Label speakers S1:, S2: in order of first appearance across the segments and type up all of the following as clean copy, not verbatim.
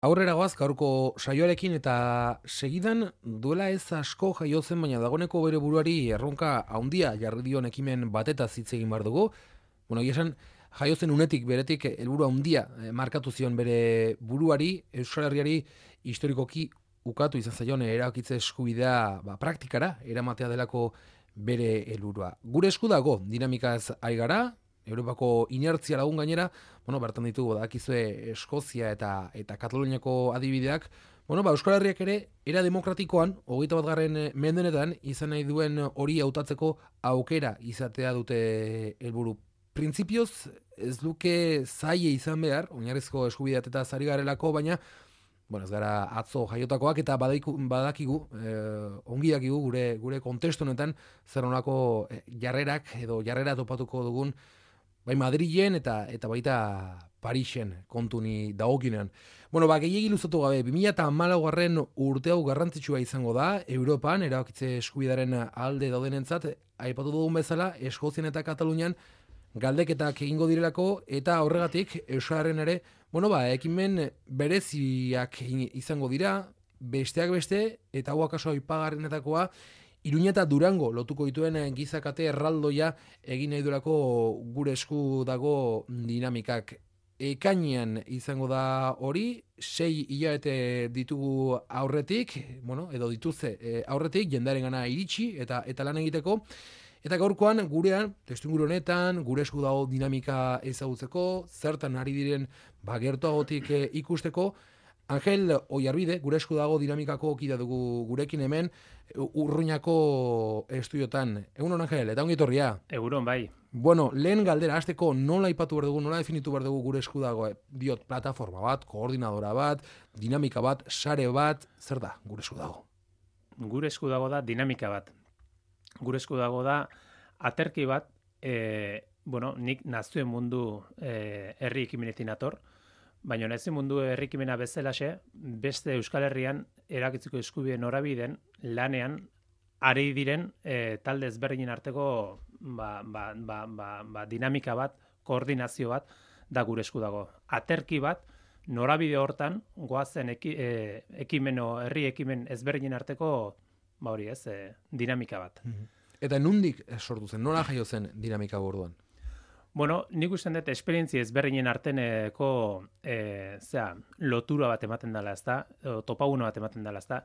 S1: Aurrera goaz gaurko saioarekin eta segidan duela ez asko jaio zen, baina dagoneko bere buruari erronka handia jarri dion ekimen batetaz hitz egin behar dugu. Bueno, esan jaio zen unetik beretik helburu handia markatu zion bere buruari, Euskal Herriari historikoki ukatu izan zaion erabakitze eskubidea praktikara eramatea delako bere helburua. Gure esku dago dinamikaz ari gara. Europako inertzia lagun gainera, bertan ditugu dakizue Eskozia eta Kataluniako adibideak, Euskal Herriak ere era demokratikoan 21. mendenetan izan nahi duen hori hautatzeko aukera izatea dute helburu. Printzipioz ez luke zaie izan behar, oinarrizko eskubideak eta zari garelako, baina ez gara atzo jaiotakoak eta badakigu, ongi dakigu gure kontestu honetan zer nolako jarrerak edo jarrera topatuko dugun bai Madrilen eta baita Parisen kontuni dagokinean. Gehiegi luzatu gabe, 2014 urte hau garrantzitsua izango da, Europan, erabakitze eskubidaren alde daudenentzat, aipatu dugun bezala, Eskozian eta Katalunian galdeketak egingo direlako, eta horregatik, Euskararen ere, ekimen bereziak izango dira, besteak beste, eta hau akaso aipagarrenetakoa, Iruña eta Durango lotuko dituen gizakate erraldoia egin nahi durako gure esku dago dinamikak. Ekainean izango da hori, 6 hilabete ditugu aurretik, edo dituzte aurretik, jendaren gana iritsi eta lan egiteko. Eta gaurkoan gurean, testuinguru honetan, gure esku dago dinamika ezagutzeko, zertan ari diren gertuagotik ikusteko, Angel Oiarbide, gure esku dago dinamikako kida dugu gurekin hemen, Urruñako estudiotan. Egunon, Angel, eta ongi etorria.
S2: Egunon, bai.
S1: Lehen galdera, hasteko nola aipatu behar dugu, nola definitu behar dugu gure esku dago, diot, plataforma bat, koordinadora bat, dinamika bat, sare bat, zer da gure esku dago?
S2: Gure esku dago da dinamika bat. Gure esku dago da aterki bat, nik nazioen mundu herri ekimenetin ator, baina nazioen mundu herri ekimena bezalaxe, beste Euskal Herrian erakitzeko eskubide norabideen lanean ari diren talde ezberdinen arteko dinamika bat, koordinazio bat da gure esku dago. Aterki bat, norabide hortan goazen herri ekimen ezberdinen arteko dinamika bat.
S1: Eta nundik sortu zen, nola jaio zen dinamika borduan?
S2: Nik usten dut esperientzia ezberdinen arteneko lotura bat ematen dela, ezta, topaguna bat ematen dela, ezta.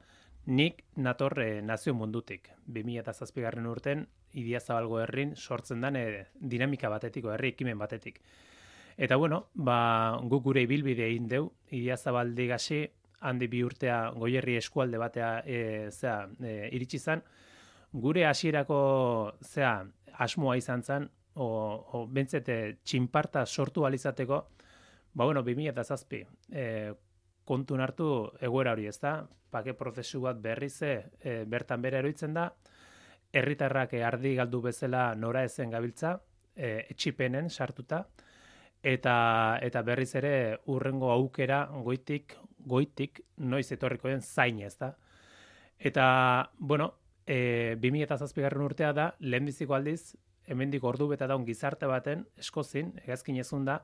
S2: Nik nator nazio mundutik. 2007 urten Idiazabalgo herrin sortzen den dinamika batetik, herri ekimen batetik. Eta guk gure ibilbide egin deu, Idiazabaldi gasi, handi 2 urtea Goierri eskualde batea iritsi zen. Gure hasierako asmoa izan zen, bentzete txinparta sortu alizateko, 2007 kontun hartu egoera hori, ezta? Bake prozesu bat berriz bertan bere eroitzen da, herritarrak ardi galdu bezala nora ezen gabiltza, etxipenen sartuta, eta berriz ere urrengo aukera goitik noiz etorriko den zain, ezta? Eta, 2007 urtea da, lehenbiziko aldiz, hemendik ordu beta daun gizarte baten, Eskozin, hegazkin ezun da,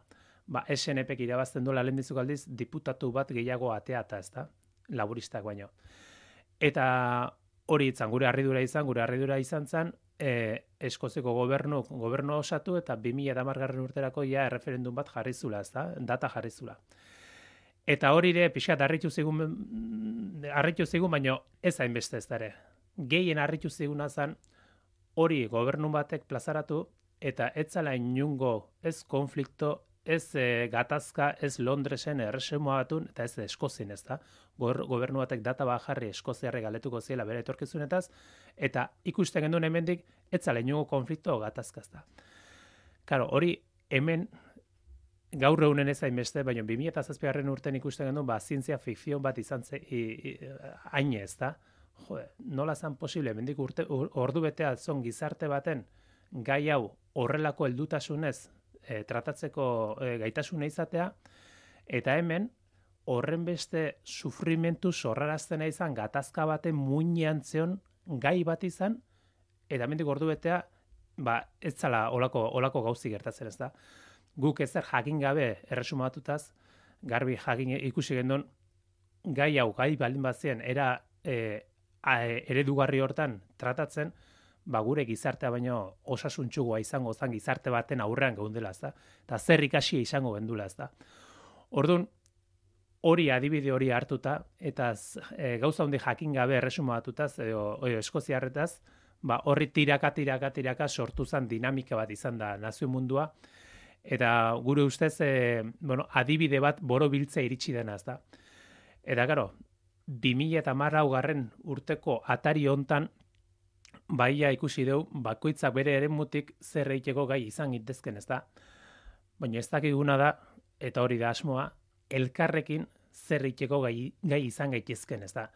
S2: SNPek irabazten duela lehenbiziko aldiz, diputatu bat gehiago ateata, ezta? Laburistak baino. Eta hori itzan, gure harridura izan zen, Eskozeko gobernu osatu eta 2010 urterako erreferendum bat jarrizula, ezta? Data jarrizula. Eta hori ere pixkat harritu zigun, baino ez hainbeste ez dara. Gehien harritu ziguna zen, hori gobernu batek plazaratu eta etzala inungo ez konflikto, ez gatazka, ez Londresen erresuma batun, eta ez Eskozin, ez da. Gobernu batek data bat jarri Eskoziarre galetuko ziela bere etorkizunetaz, eta ikusten genduen hemendik etzala inungo konflikto gatazka, ez da. Karo, hori hemen gaur egunen ez hainbeste, baina 2007 urten ikusten genduen, zientzia fikzion bat izan haine, ez da. Nola zan posible, hemendik ordu betea zon gizarte baten gai hau horrelako heldutasunez tratatzeko gaitasuna izatea, eta hemen horren beste sufrimentu sorraraztena izan gatazka baten muinean zeon gai bat izan, eta hemendik ordu betea ez zala olako gauzi gertatzen, ez da. Guk ezer jakin gabe erresuma batutaz, garbi jakin ikusi gendun, gai hau gai baldin bazien era eredugarri hortan tratatzen, gure gizartea baino osasuntsugoa izango zen gizarte baten aurrean geundela, ezta? Eta zer ikasia izango gendula, ezta? Orduan, hori adibide hori hartuta, eta gauza hondi jakin gabe erresumatutaz, edo eskoziarretaz, horri tiraka sortu zen dinamika bat izan da nazio mundua, eta gure ustez, adibide bat borobiltzea iritsi dena, ezta? Eta, karo, 2010 urteko atari hontan, baia ikusi dugu, bakoitzak bere eremutik zer egiteko gai izan gintezken, ezta? Baina ez dakiguna da, eta hori da asmoa, elkarrekin zer egiteko gai izan gaitezken, ezta?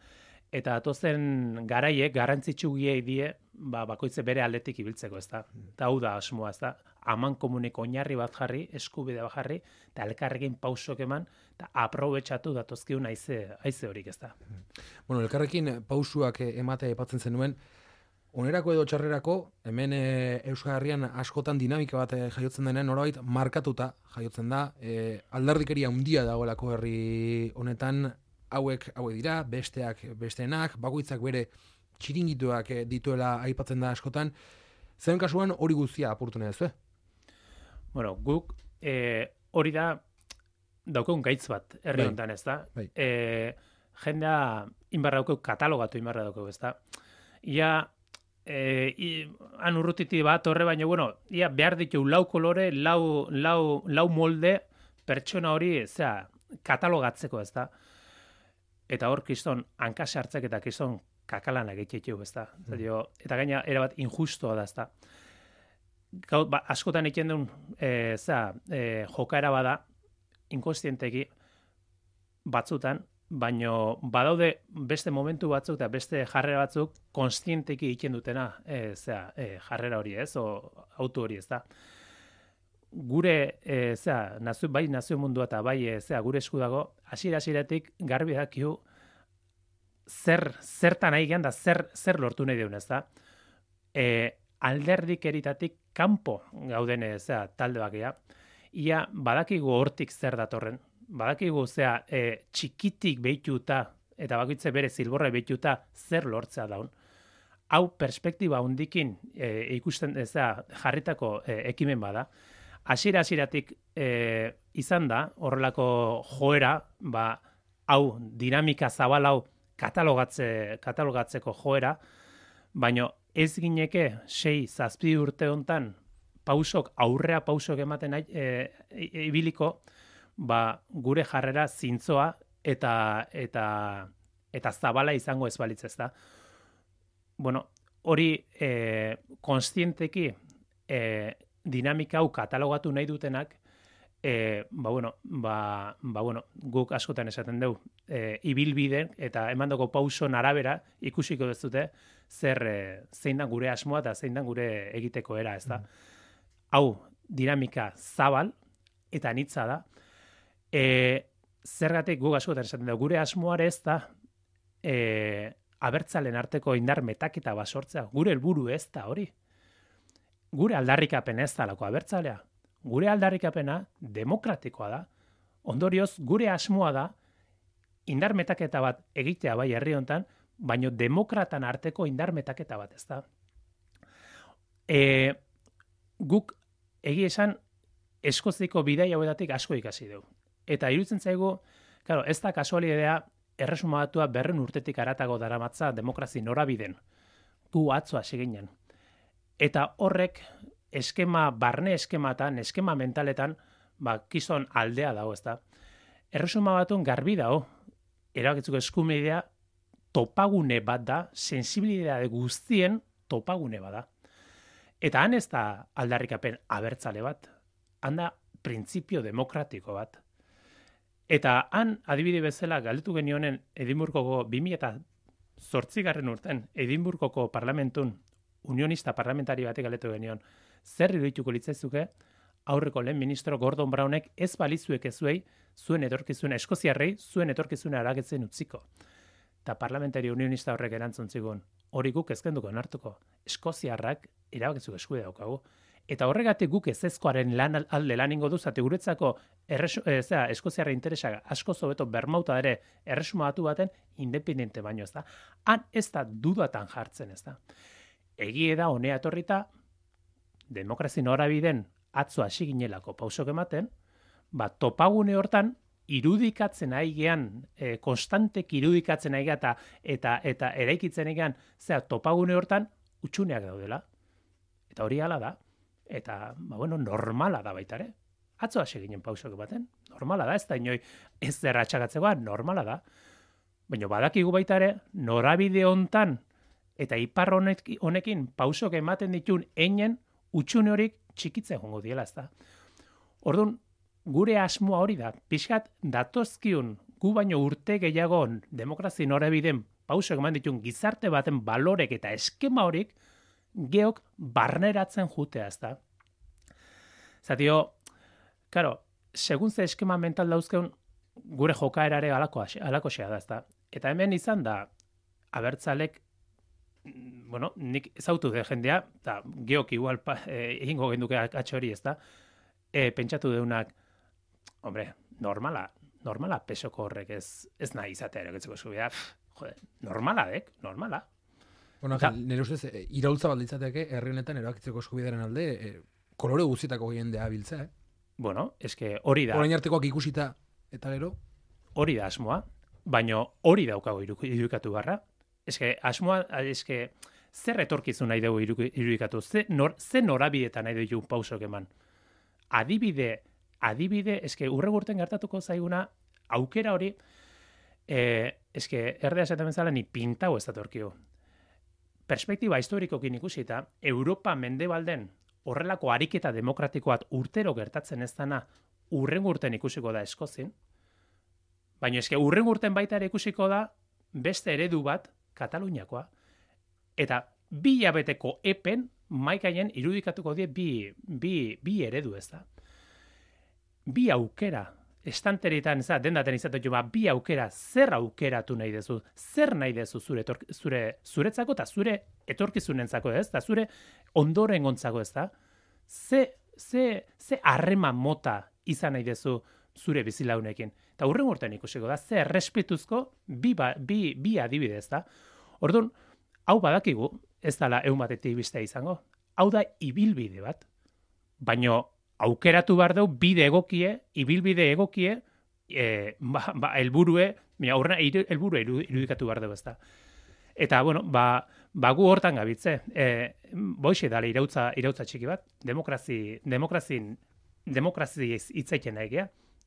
S2: Eta atozen garaiek garrantzitsu giei die, bakoitze bere aldetik ibiltzeko, ezta? Eta hau da asmoa, ezta? Aman komuneko oinarri bat jarri, eskubide bat jarri, eta elkarrekin pausok eman, eta aprobetxatu datozkiun haize horik, ezta?
S1: Bueno, elkarrekin pausuak ematea aipatzen zenuen, onerako edo txarrerako, hemen Euskal Herrian askotan dinamika bat jaiotzen denean, norbait markatuta jaiotzen da, alderdikeria handia dagoelako herri honetan, hauek dira, besteak besteenak, bakoitzak bere txiringituak dituela aipatzen da askotan. Zen kasuan hori guztia apurtu nahi duzu,
S2: Bueno, guk hori da daukeun gaitz bat herri honetan, ez da?
S1: Bai.
S2: Jendea inbarra daukeu, katalogatu inbarra daukeu, ez da? Ia han urrutiti bat horre, baina, bueno, ia behar ditu lau kolore, lau molde pertsona hori, katalogatzeko, ez da? Eta hor, kiston, hankase hartzek eta kiston kakalana egitxetu, ez da? Eta gaina, erabat injustoa da, ez da? Askotan egiten duen, jokaera bada, inkonstienteki batzutan, baino badaude beste momentu batzuk eta beste jarrera batzuk konstienteki egiten dutena, jarrera hori, ez, o auto hori, ez da. Gure, nazio mundua eta bai, gure esku dago, hasieratik garbi dakiu zertan nahi gehan da zer lortu nahi deun, ez da. Alderdik eritatik kanpo gauden, talde bakia, ia badakigu hortik zer datorren, badakigu txikitik behituta, eta bakoitze bere zilborra behituta zer lortzea daun. Hau perspektiba hundikin ikusten jarritako ekimen bada. Hasieratik izan da, horrelako joera, hau dinamika zabal hau katalogatzeko joera, baino ez gineke 6-7 urte hontan aurrea pausok ematen ibiliko, gure jarrera zintzoa eta zabala izango ez balitz, ezta. Bueno, hori konstienteki dinamika hau katalogatu nahi dutenak, guk askotan esaten dugu, ibilbiden eta emandako pauson arabera ikusiko dezute zein da gure asmoa eta zein da gure egiteko era, ezta. Hau dinamika zabal eta anitza da. Zergatik guk askotan esaten dugu, gure asmoare ez da abertzalen arteko indar metaketa basortzea. Gure helburu ez da hori. Gure aldarrikapen ez da lako abertzalea. Gure aldarrikapena demokratikoa da. Ondorioz, gure asmoa da indar metaketa bat egitea bai herri hontan, baino demokratan arteko indar metaketa bat, ez da. Guk egia esan Eskoziko bidai hauetatik asko ikasi dugu. Eta iruditzen zaigu, claro, ez da kasualidadea erresumatua 200 urtetik haratago daramatza demokrazi norabiden. Gu atzo hasi ginen. Eta horrek barne eskematan, eskema mentaletan, kiston aldea dago, ez da. Erresuma batun garbi dago, erabakitzeko eskubidea topagune bat da, sensibilitate guztien topagune bat da. Eta han ez da aldarrikapen abertzale bat, han da printzipio demokratiko bat. Eta han adibide bezala galdetu genionen Edimburgoko 2008 urten Edimburgoko parlamentun unionista parlamentari batek galdetu genion, zer irudituko litzaizuke aurreko lehen ministro Gordon Brownek ez balizuek ezuei zuen etorkizuna eskoziarrei zuen etorkizuna aragetzen utziko. Eta parlamentari unionista horrek erantzun zigun, hori guk ezkenduko onartuko. Eskoziarrak erabakitzeko eskubidea daukagu. Eta horregatik guk ezezkoaren alde lan ingo du, zate guretzako eskoziarra interesak asko zobeto bermauta ere erresuma batu baten independente baino, ez da. Han ez da dudatan jartzen, ez da. Egie da, honea etorrita, demokrazi norabideen atzo hasi ginelako pausok ematen, topagune hortan, irudikatzen aigean, konstantek irudikatzen aigea eta eraikitzen aigean, topagune hortan, utxuneak daudela. Eta hori hala da. Eta, normala da baita ere. Atzo hasi ginen pausok baten. Normala da, ez da inoi ez zerra atxagatzegoa, normala da. Baina badakigu baita ere, norabide hontan eta ipar honekin pausok ematen ditun einen utxune horik txikitzen jongo diela, ez da. Orduan, gure asmoa hori da, pixkat datozkiun gu baino urte gehiagon demokrazi norabideen pausok eman ditun gizarte baten balorek eta eskema horik geok barneratzen jutea, ez da. Zatio, karo, segun ze eskema mental dauzkeun, gure jokaerare alako xea da, ez da. Eta hemen izan da, abertzalek, nik ezautu de jendea, eta geok igual egingo genduke atxori, ez da, pentsatu deunak, hombre, normala pesoko horrek ez nahi izatea eroketzeko eskubidea, normala.
S1: Bueno, nire ustez, iraultza bat litzateke, herri honetan erabakitzeko eskubidearen alde, kolore guztietako jendea biltza,
S2: Bueno, eske hori da.
S1: Orain artekoak ikusita eta gero?
S2: Hori da asmoa, baino hori daukago irudikatu barra. Eske asmoa, zer etorkizun nahi dugu irudikatu, ze norabietan nahi dugu pausok eman. Adibide, eske urregurten gertatuko zaiguna, aukera hori, erdea esaten bezala ni pintau ez datorkio. Perspektiba historikokin ikusita, Europa mendebalden horrelako ariketa demokratikoat urtero gertatzen ez dana urrengurten ikusiko da Eskozin, baina urrengurten baita ere ikusiko da beste eredu bat Kataluniakoa. Eta 2 hilabeteko epen maikaien irudikatuko die bi eredu, ez da. 2 aukera. Estanteritan, dendaten izatetu, 2 aukera, zer aukeratu nahi dezu, zer nahi dezu zuretzako eta zure etorkizunentzako, ez da, zure ondorengontzako, ez da, ze harreman mota izan nahi dezu zure bizilaunekin. Eta hurren urtean ikusiko da, ze errespetuzko bi adibide, ez da. Orduan, hau badakigu, ez dala egun batetik bistea izango, hau da ibilbide bat, baino aukeratu behar dugu ibilbide egokie, helburue irudikatu behar dugu, ez da. Eta, gu hortan gabitze, boixe dala irautza txiki bat, demokrazi hitzaiten nahi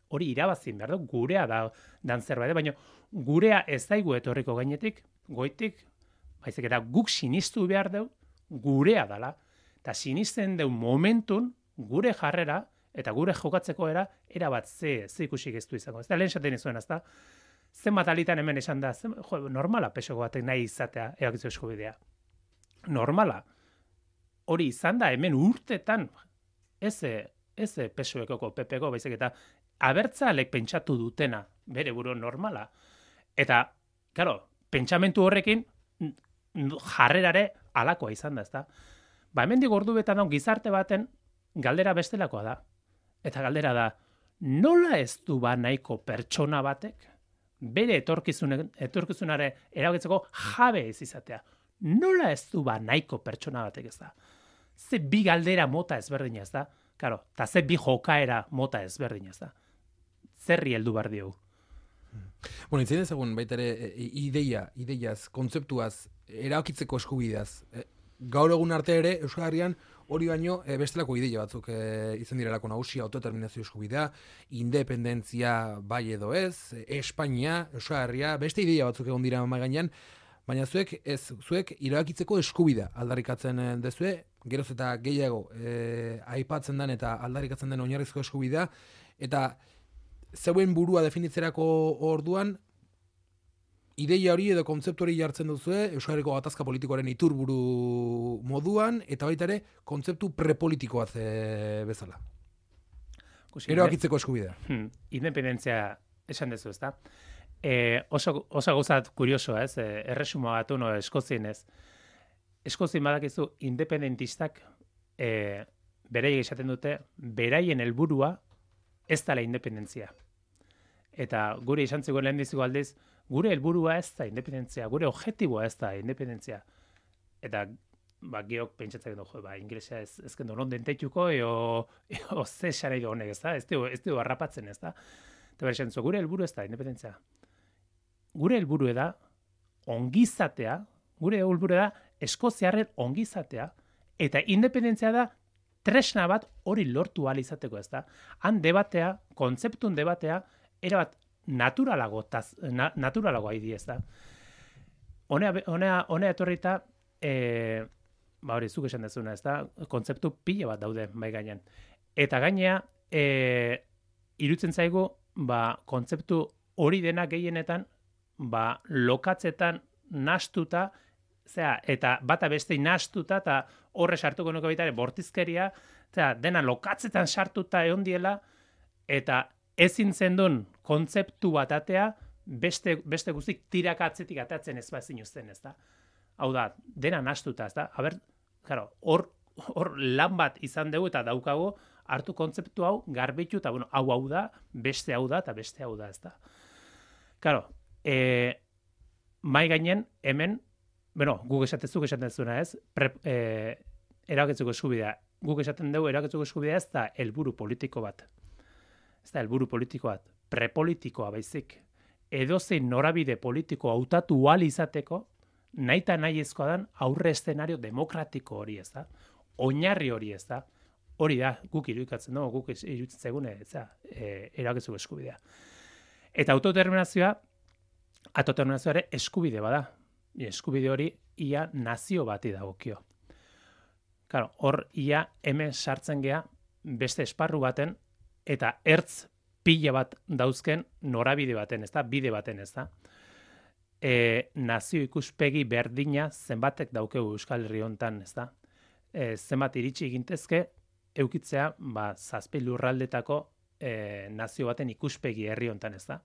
S2: hori irabazin behar dugu, gurea dan zerbait, baina gurea ez daigu etorriko gainetik, goitik, baizik eta guk sinistu behar dugu, gurea dala, eta sinisten dugu momentun, gure jarrera eta gure jokatzeko erabat ze ikusik ez du izango. Ez da, lehen esaten izuen, ez da, zenbat alitan hemen esan da, normala pesoko batek nahi izatea erabakitzu eskubidea. Normala. Hori izan da hemen urtetan, ez pesoekoko, pepeko, baizik eta abertzalek pentsatu dutena, bere buru normala. Eta, claro, pentsamentu horrekin jarrerare alakoa izan da, ez da. Hemendik ordu betan gizarte baten galdera bestelakoa da. Eta galdera da, nola ez du nahiko pertsona batek bere etorkizunare erabakitzeko jabe ez izatea? Nola ez du nahiko pertsona batek, ez da? Ze bi galdera mota ezberdina, ez da? Claro, eta ze bi jokaera mota ezberdina, ez da? Zerri heldu behar diogu.
S1: Bueno, itzen ezagun baita ere ideiaz, kontzeptuaz, erabakitzeko eskubideaz. Gaur egun arte ere, Euskal Herrian hori baino bestelako ideia batzuk izan direlako nagusia, autodeterminazio eskubidea, independentzia bai edo ez, Espainia, Euskal Herria, beste ideia batzuk egon dira mahai gainean, baina zuek erabakitzeko eskubidea aldarrikatzen dezue, geroz eta gehiago aipatzen den eta aldarrikatzen den oinarrizko eskubidea, eta zeuen burua definitzerako orduan, ideia hori edo kontzeptu hori jartzen duzue Euskal Herriko gatazka politikoaren iturburu moduan, eta baita ere kontzeptu prepolitikoaz bezala. Erabakitzeko eskubidea.
S2: Independentzia esan dezu, ezta? Oso gauzat kuriosoa, ez? Erresuma batu Eskozien ez. Eskozien badakizu independentistak beraiek esaten dute, beraien helburua ez dela independentzia. Eta gure izan zegoen lehen dizugu aldiz, gure helburua ez da independentzia, gure objektiboa ez da independentzia. Eta geok pentsatzen du, inglesa ez kendo non denteituko, eo ze nahi du honek, ez da? Ez du harrapatzen, ez da? Eta beresen gure helburu ez da independentzia. Gure helburu da ongizatea, gure helburu da eskoziarren ongizatea, eta independentzia da tresna bat hori lortu ahal izateko, ez da? Han debatea, kontzeptun debatea, erabat naturalagoa idi, ez da? Honea etorrita, hori zuk esan dezuna, ez da? Kontzeptu pila bat daude, bai gainean. Eta gainea, irutzen zaigu, kontzeptu hori dena gehienetan, lokatzetan nastuta, eta bata beste nastuta, eta horre sartuko nuke baita ere bortizkeria, dena lokatzetan sartuta egon diela, eta ezin zendun kontzeptu bat atea, beste guztik tirakatzetik atatzen ez bazin uzten, ez da? Hau da, dena nastuta, ez da? Hor lan bat izan dugu eta daukagu, hartu kontzeptu hau, garbitu, eta hau da, beste hau da, eta beste hau da, ez da? Karo, mai gainen, hemen, guk esaten zuna, ez? Erabakitzeko eskubidea. Guk esaten dugu, erabakitzeko eskubidea ez da helburu politiko bat. Ez da helburu politiko bat. Prepolitikoa baizik. Edozein norabide politiko hautatu ahal izateko, nahi eta nahi ezkoa dan aurre eszenario demokratiko hori, ez da? Oinarri hori, ez da? Hori da, guk irudikatzen dugu, guk iruditzen zegune, ez da, erabakitzeko eskubidea. Eta autodeterminazioa ere eskubide bada. Eskubide hori ia nazio bati dagokio. Claro, hor ia hemen sartzen gea beste esparru baten eta ertz pila bat dauzken norabide baten, ez da, bide baten, ez da. Nazio ikuspegi berdina zenbatek daukegu Euskal Herri hontan, ez da. Zenbat iritsi egintezke eukitzea, zazpi lurraldetako nazio baten ikuspegi herri hontan, ez da.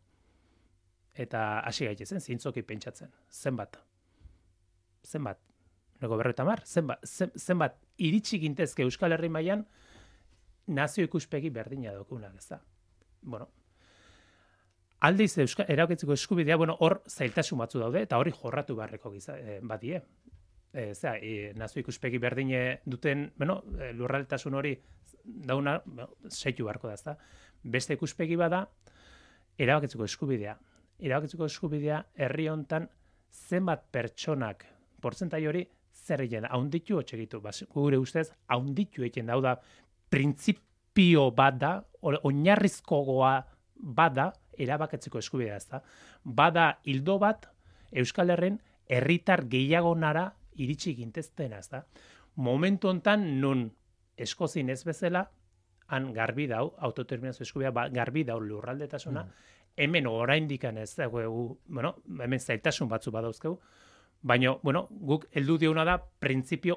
S2: Eta hasi gaitezen, zintzoki pentsatzen. Zenbat. Nego 50, zenbat iritsi gintezke Euskal Herri mailan nazio ikuspegi berdina daukunak, ez da. Aldiz erabakitzeko eskubidea, hor zailtasun batzu daude, eta hori jorratu beharreko badie. Nazio ikuspegi berdine duten, lurraldetasun hori dauna, seitu beharko da, ez da. Beste ikuspegi bada, erabakitzeko eskubidea. Erabakitzeko eskubidea herri hontan zenbat pertsonak, portzentai hori, zer egiten da, haunditu otxegitu. Gure ustez, haunditu egiten da, hau da, printzipio bat da, oinarrizkoa bada, erabakitzeko eskubidea, ez da. Bada hildo bat, Euskal Herren herritar gehiagonara iritsi ginteztena, ez da. Momentu hontan, nun eskozin ez bezala, han garbi dau, autodeterminazio eskubidea, garbi dau lurraldetasuna, hemen oraindikan ez da, hemen zailtasun batzu badauzkegu, baina, guk heldu diona da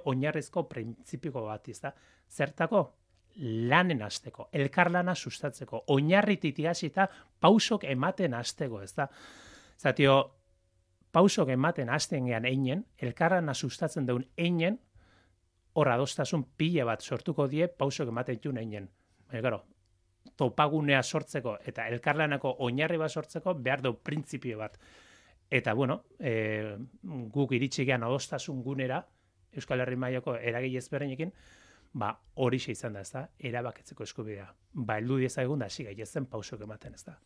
S2: oinarrizko printzipio bat, ez da. Zertako? Lanen hasteko, elkarlana sustatzeko, oinarritik hasita pausok ematen hasteko, ez da. Zatio, pausok ematen hasten gean einen, elkarlana sustatzen duen einen, hor adostasun pila bat sortuko die pausok ematen duen einen. Baina, topagunea sortzeko eta elkarlanako oinarri bat sortzeko behar du printzipio bat. Eta, guk iritsi gean adostasun gunera, Euskal Herri mailako eragile ezberdinekin, hori izan da, ez da, erabakitzeko eskubidea. Heldu diezagun da, hasi gaitezen pausok ematen, ez da.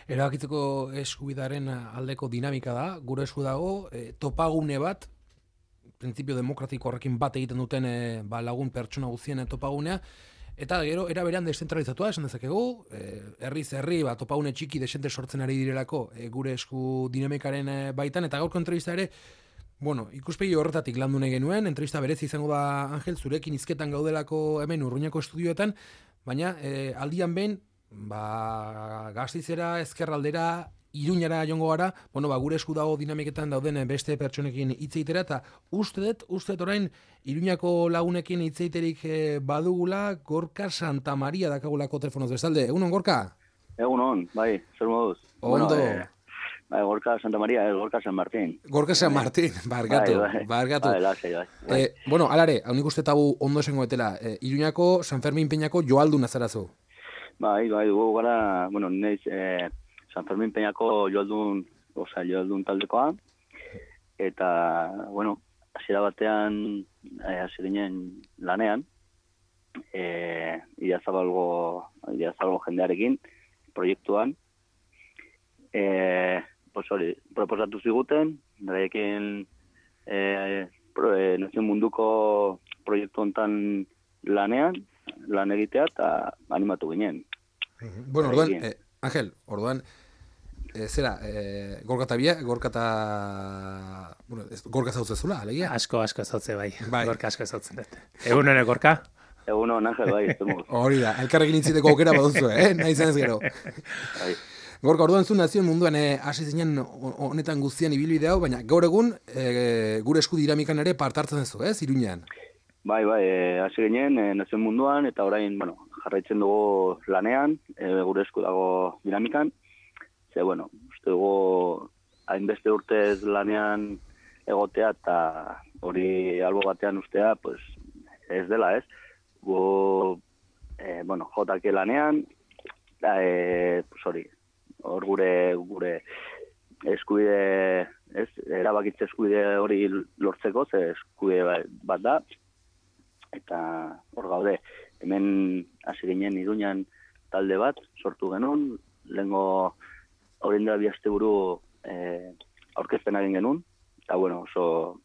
S1: Erabakitzeko eskubidearen aldeko dinamika da, gure esku dago, topagune bat, printzipio demokratiko horrekin bat egiten duten lagun pertsona guztien topagunea, eta gero, era berean deszentralizatua, esan dezakegu, herriz herri, topagune txiki desente sortzen ari direlako gure esku dinamikaren baitan, eta gaurko entrevista ere, ikuspegi horretatik landu nahi genuen, entrevista berezi izango da, Angel, zurekin hizketan gaudelako hemen Urruñako estudioetan, baina aldian behin, Gastizera, ezkerraldera, Iruñara jongo gara, gure esku dago dinamiketan dauden beste pertsonekin hitz egitera, eta uste dut orain Iruñako lagunekin hitz egiterik badugula, Gorka Santa Maria dakagulako telefonoz bezalde. Egunon, Gorka?
S3: Egunon, bai, zer moduz.
S1: Ondo.
S3: Gorka Santa Maria, Gorka San Martín.
S1: Gorka San Martín, barkatu. Bueno, alare, hau nik uste tabu ondo esengoetela, Iruñako San Fermin Peñako joaldu nazarazu.
S3: Bai, dugu gara, bueno, neiz San Fermin Peñako joaldun taldekoa, eta, bueno, hasiera batean, hasi ginen lanean, Idiazabalgo jendearekin, proiektuan, pues hori, proposatu ziguten, beraiekin Nazio Munduko proiektu hontan lan egitea, eta animatu ginen.
S1: Bueno, orduan, Ángel, orduan, zera, Gorka zautzezula, alegia?
S2: Asko zautze bai. Gorka asko zautzen dut. Egun hone, Gorka?
S3: Egun hone, Ángel, bai.
S1: Hori da, elkarrekin intziteko aukera baduzu, nahi zenez gero. Gorka, orduan zu Nazio Munduan hasi zinen honetan guztian ibilbide hau, baina gaur egun gure esku dinamikan ere partartzen duzu, Iruñean?
S3: Bai, hasi ginen Nazio Munduan, eta orain, bueno, jarraitzen dugu lanean, gure esku dago dinamikan. Ze, bueno, uste dugu hainbeste urtez lanean egotea, eta hori albo batean ustea, pues, ez dela, ez? Gu, bueno, jotake lanean, pues hori, hor gure eskubide, ez, erabakitze eskubide hori lortzeko, ze eskubide bat da, eta hor gaude, hemen hasi ginen Iruñan talde bat, sortu genuen, lehengo horien da 2 asteburu aurkezpen egin genuen, eta bueno, oso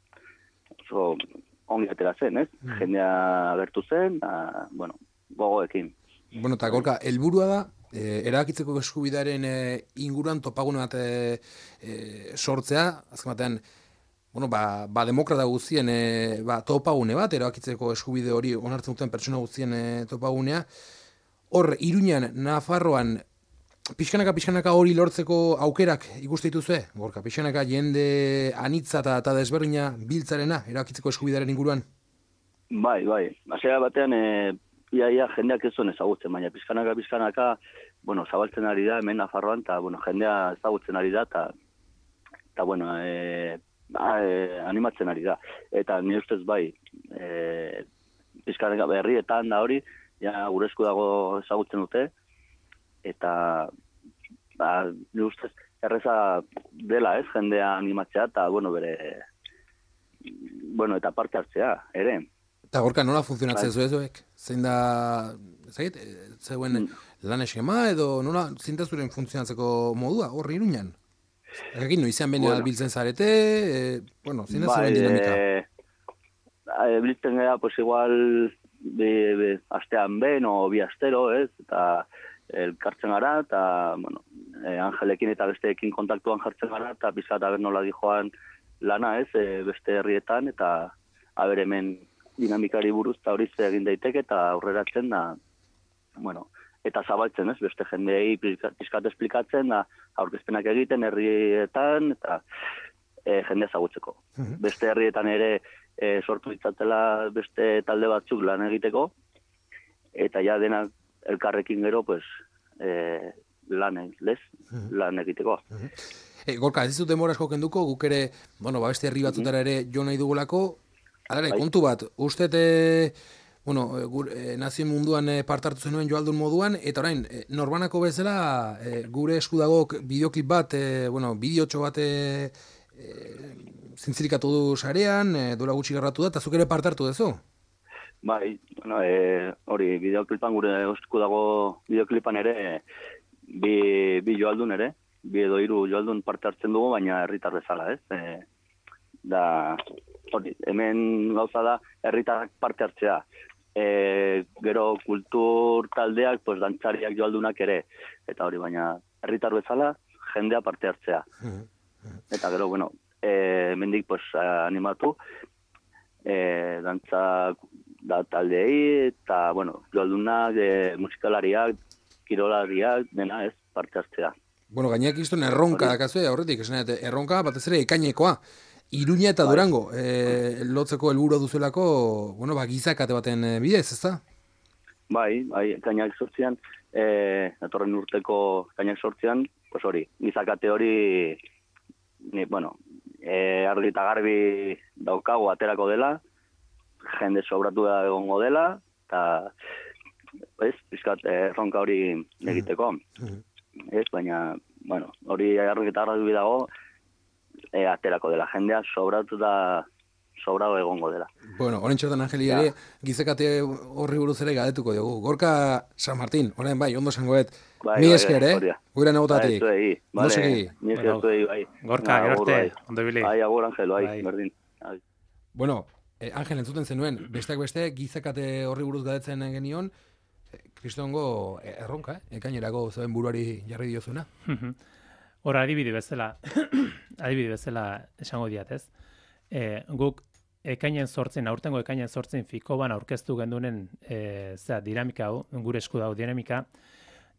S3: ongi atera zen, ez? Jendea agertu zen, bueno, gogoekin.
S1: Bueno, eta Gorka, helburua da, erabakitzeko eskubidearen inguruan topagune bat sortzea, azken batean, bueno, demokrata guztien topagune bat, erabakitzeko eskubide hori onartzen duten pertsona guztien topagunea. Hor, Iruñan, Nafarroan, pixkanaka hori lortzeko aukerak ikuste dituzue? Gorka, pixkanaka jende anitza eta desberdina biltzarena, erabakitzeko eskubidearen inguruan?
S3: Bai. Hasiera batean, ia jendeak ez zuen ezagutzen, baina pixkanaka, bueno, zabaltzen ari da, hemen Nafarroan, eta, bueno, jendea ezagutzen ari da, eta bueno, animatzen ari da. Eta nire ustez bai, pixkanaka berrietan da hori, ja gure esku dago ezagutzen dute, eta nire ustez erreza dela, ez, jendea animatzea, eta, bueno, eta parte hartzea, ere.
S1: Eta Gorka, nola funtzionatzen zuek? Zein da, zeuen lan eskema, edo nola zintazuren funtzionatzeko modua, horri Iruñan? Ekin, noizean benean biltzen zarete, zein da zuen dinamika?
S3: Biltzen gara, pues igual, astean ben, o bi astero, ez, eta elkartzen gara, eta, bueno, Angelekin eta besteekin kontaktuan jartzen gara, eta pizkat aber nola dijoan lana, ez, beste herrietan, eta aber hemen dinamikari buruz eta hori egin daiteke, eta aurreratzen da, bueno, eta zabaltzen, ez, beste jendeei pizkat esplikatzen, da, aurkezpenak egiten herrietan, eta jende ezagutzeko. Beste herrietan ere sortu ditzatela beste talde batzuk lan egiteko, eta ja denak elkarrekin gero, pues, lan egiteko.
S1: Gorka, ez dizut demora asko kenduko, guk ere, bueno, beste herri batzutara ere jo nahi dugulako, alare, kontu bat, uste Nazio Munduan parte hartu zenuen joaldun moduan, eta orain, norbanako bezala, gure esku dago bideoklip bat, bideotxo bat zintzirikatu du sarean, dola gutxi garratu da, eta zuk ere parte hartu duzu?
S3: Bai, hori, bideoklipan gure esku dago bideoklipan ere, bi joaldun ere, bi edo 3 joaldun parte hartzen dugu, baina herritar bezala, ez? Hori, hemen gauza da, herritarrak parte hartzea. Gero kultur taldeak, pues, dantzariak joaldunak ere. Eta hori, baina herritar bezala, jendea parte hartzea. Eta gero, bueno, hemendik pues, animatu, dantza da taldeei, eta, bueno, joaldunak, musikalariak, kirolariak, dena ez, parte hartzea.
S1: Bueno, gainak iztuen erronka dakazue, aurretik, erronka batez ere ekainekoa. Iruña eta Durango, lotzeko helburua duzuelako, gizakate baten bidez, ezta?
S3: Bai, ekainak 8an, datorren urteko ekainak 8an, pues hori, gizakate hori argi eta garbi daukagu aterako dela, jende sobratu da egongo dela, eta pizkat erronka hori egiteko. Baina, hori argi eta garbi dago, aterako dela, jendea sobratu da sobrado egongo dela.
S1: Bueno, orain txertan Angeli ere, gizekate horri buruz ere galdetuko dugu. Gorka San Martín, orain bai, ondo zangoet, mi esker, guira negotatik.
S3: Mi esker zuei, bai.
S2: Gorka, gerarte, ondo bili.
S3: Bai, agur, Angel, bai, berdin.
S1: Bueno, Angel, entzuten zenuen, besteak beste, gizekate horri buruz galdetzen genion, kristongo erronka, ekainerako zeuen buruari jarri diozuna.
S2: Hora, adibide bezala esango diat, ez? Guk aurtengo ekainen 8 Fikoban aurkeztu gendunen dinamika hau, gure esku dago dinamika,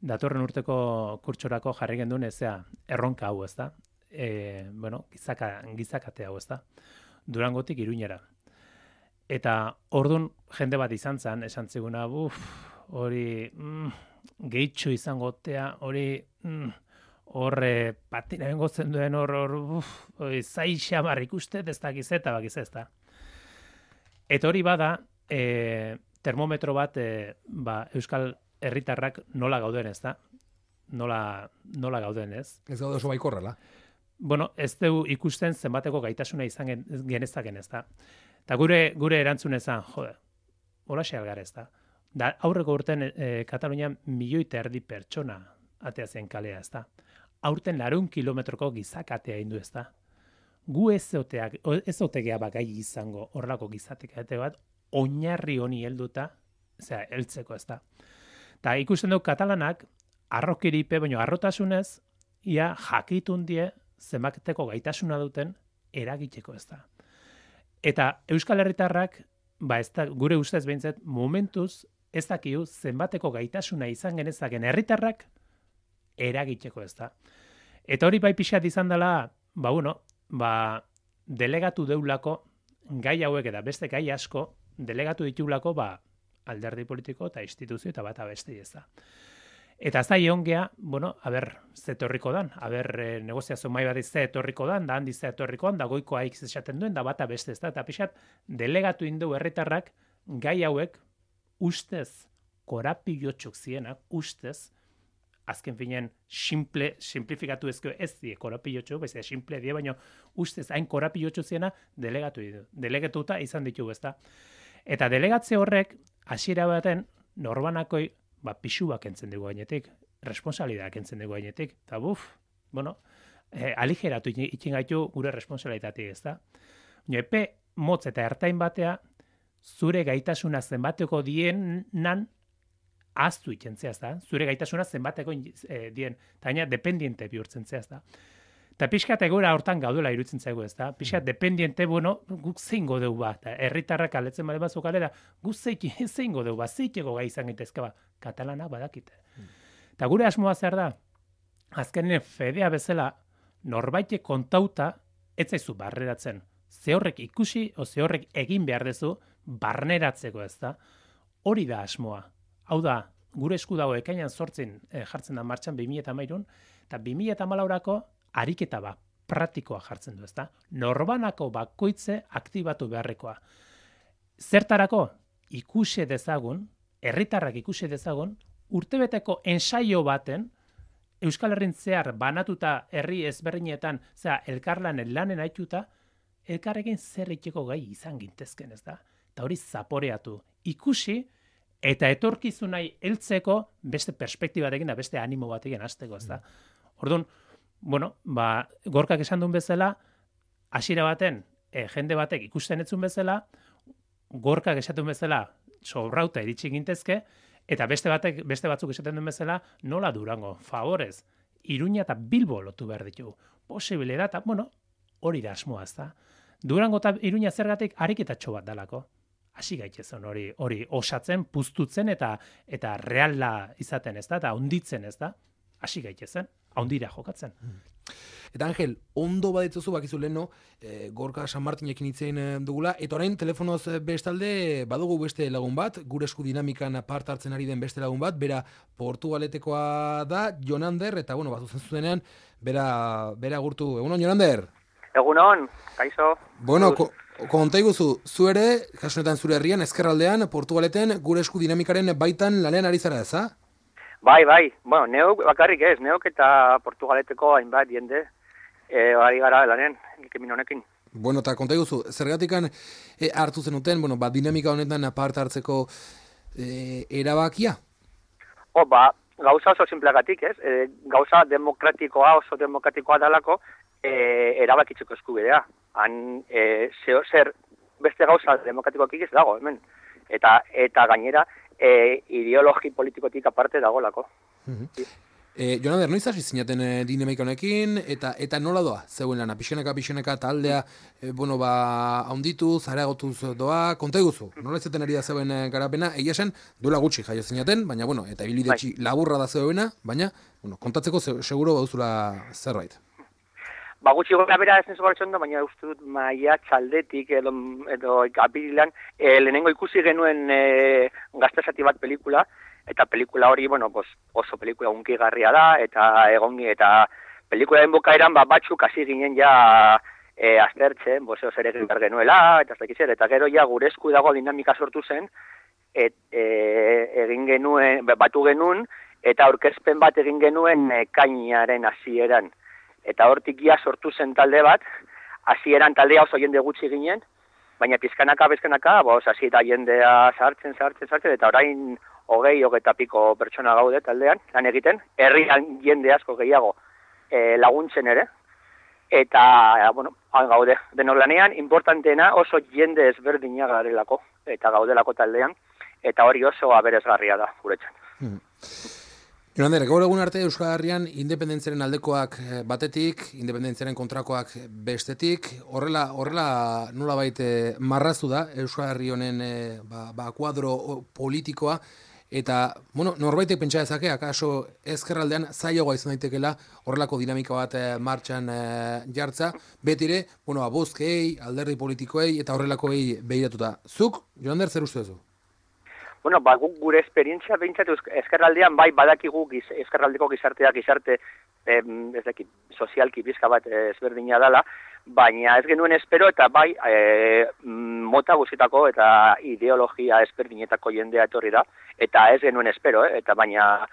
S2: datorren urteko kurtsorako jarri genduen erronka hau, ez da? Gizakate hau, ez da? Durangotik Iruñera. Eta ordun jende bat izan zen, esan ziguna, hori gehitxo izangotea, hori horre patina bengotzen duen zai xamar ikuste, ez da gizeta, ez da. Eta hori bada, termometro bat, Euskal herritarrak nola gauden, ez da? Nola gauden, ez?
S1: Ez gaude oso baikorrela.
S2: Bueno, ez dugu ikusten zenbateko gaitasuna izan genezaken, ez da? Eta gure erantzun ezan, hola xealgar, ez da? Da, aurreko urten Katalunian 1,5 milioi pertsona atea zen kalea, ez da? Aurten 200 kilometroko gizakatea indu, ez da? Gu ez otegea gai izango horrelako gizakate bat, oinarri honi helduta, heltzeko, ez da? Eta ikusten dugu katalanak, arrokiripe, baina arrotasunez, ia jakitun die zenbateko gaitasuna duten eragiteko, ez da? Eta Euskal Herritarrak, ez da, gure ustez behintzat, momentuz ez dakiu zenbateko gaitasuna izan genezaken herritarrak eragiteko, ez da. Eta hori bai pixat izan dela, delegatu deulako gai hauek eta beste gai asko delegatu ditulako alderdi politiko eta instituzio eta bata beste, ez da. Eta zai ongea, ze etorriko dan, negoziazio mai bat ze etorriko dan, da handi ze etorriko dan, da goiko haik esaten duen, da bata beste, ez da. Eta pixat, delegatu indu herritarrak gai hauek ustez, korapilotxuk zienak, ustez, azken finean simplifikatu ezko ez die korapilotxu, simple die, baina ustez hain korapilotxu ziena delegatu ditu. Delegatuta izan ditugu, ez da. Eta delegatze horrek, hasiera baten, norbanakoi, pixuak entzen dugu gainetik, responsabilidadak entzen dugu gainetik, eta aligeratu ikin gaitu gure responsabilitatik, ez da. Epe motz eta ertain batea, zure gaitasuna zenbateko dienan aztu ikentzea, ez da. Zure gaitasuna zenbateko dien, eta gaina dependiente bihurtzen zea, ez da. Eta pixkat egoera hortan gaudela iruditzen zaigu, ez da. Pixkat dependiente, guk zein godeu eta herritarrak aletzen bade bazuk alera, guk zein godeu zeiteko gai izan gitezke katalanak badakite. Eta gure asmoa zer da, azkenen fedea bezala, norbaite kontauta, ez zaizu barneratzen. Ze horrek ikusi, o ze horrek egin behar dezu, barneratzeko, ez da. Hori da asmoa. Hau da, gure esku dago ekainan 8 jartzen da martxan 2013, eta 2014ko ariketa praktikoa jartzen du, ezta? Norbanako bakoitze aktibatu beharrekoa. Zertarako ikusi dezagun, herritarrak ikusi dezagun, urtebeteko ensaio baten Euskal Herrin zehar banatuta herri ezberdinetan, elkarlanen lanen aituta, elkarrekin zer egiteko gai izan gintezken, ez da? Eta hori zaporeatu. Ikusi eta etorkizunai heltzeko beste perspektibatekin da beste animo batekin hasteko, ez da? Orduan, Gorkak esan duen bezala, hasiera baten, jende batek ikusten etzun bezala, Gorkak esaten bezala, sobrauta iritsi gintezke, eta beste batzuk esaten duen bezala, nola Durango, favorez, Iruña eta Bilbo lotu behar ditugu. Posibilidad, eta, hori da asmoa, ez da? Durango eta Iruña zergatik ariketatxo bat dalako. Hasi gaitezen hori osatzen, puztutzen eta reala izaten, ez da? Eta onditzen, ez da? Hasi gaitezen, ondira jokatzen.
S1: Eta Angel, ondo baditzuzu bakizu leheno, Gorka San Martinekin hitzein dugula, eta orain telefonoz bestalde badugu beste lagun bat, gure esku dinamikan part hartzen ari den beste lagun bat, bera Portugaletekoa da, Jonander, eta bueno, bat zuzenean, bera gurtu. Egunon, Jonander?
S4: Egunon, kaixo.
S1: Bueno, konta iguzu, zu ere, kasunetan zure herrian, ezkerraldean, Portugaleten, gure esku dinamikaren baitan lanean ari zara eza?
S4: Bai, bueno, neuk bakarrik ez, neuk eta Portugaleteko hainbat jende ari gara lanen, ekimen honekin.
S1: Bueno, eta konta iguzu, zergatikan hartu zenuten, bueno, dinamika honetan apart hartzeko erabakia?
S4: Gauza oso simpleagatik, ez? Gauza oso demokratikoa dalako, erabakitzeko eskubidea. Han, zer beste gauza demokratikoak ez dago, hemen. Eta gainera, ideologi politikotik aparte dagolako.
S1: Jonander, noiz hasi zinaten dinamika honekin, eta nola doa? Zeuen lana, pixeneka taldea, haunditu, zareagotuz doa, konta iguzu, nola izaten ari da zeuen garapena, egia esan, duela gutxi jaio zinaten, baina, eta ibilide laburra da zeuena, baina, kontatzeko seguro bauzula zerbait.
S4: Gutxi gora bera ez nesu gartzen da, baina uste dut maia txaldetik edo apirilan, lehenengo ikusi genuen gaztezati bat pelikula, eta pelikula hori, oso pelikula unkigarria da, eta pelikularen bukaeran batzuk hasi ginen ja aztertzen, zer egin behar genuela, eta gero ja gure esku dago dinamika sortu zen, egin genuen, batu genuen, eta aurkezpen bat egin genuen kainaren hasieran. Eta hortik ja sortu zen talde bat, hasieran taldea oso jende gutxi ginen, baina pizkanaka, hasi eta jendea sartzen, eta orain 20 piko pertsona gaude taldean, lan egiten, herrian jende asko gehiago laguntzen ere, eta, han gaude, denok lanean, importanteena oso jende ezberdina garelako, eta gaudelako taldean, eta hori oso aberasgarria da, guretzat.
S1: Jonander, gaur egun arte Euskal Herrian independentziaren aldekoak batetik, independentziaren kontrakoak bestetik, horrela nolabait marrazu da Euskal Herri honen kuadro politikoa, eta, norbaitek pentsa dezake, akaso ezkerraldean zailagoa izan daitekela horrelako dinamika bat martxan jartza, betire, bozkei, alderdi politikoei eta horrelakoei behiratuta. Zuk, Jonander, zer uste duzu?
S4: Gure esperientzia behintzat ezkerraldean badakigu ezkerraldeko gizarte sozialki bizka bat ezberdina dela, baina ez genuen espero eta mota guztietako eta ideologia ezberdinetako jendea etorri da, eta ez genuen espero, eta baina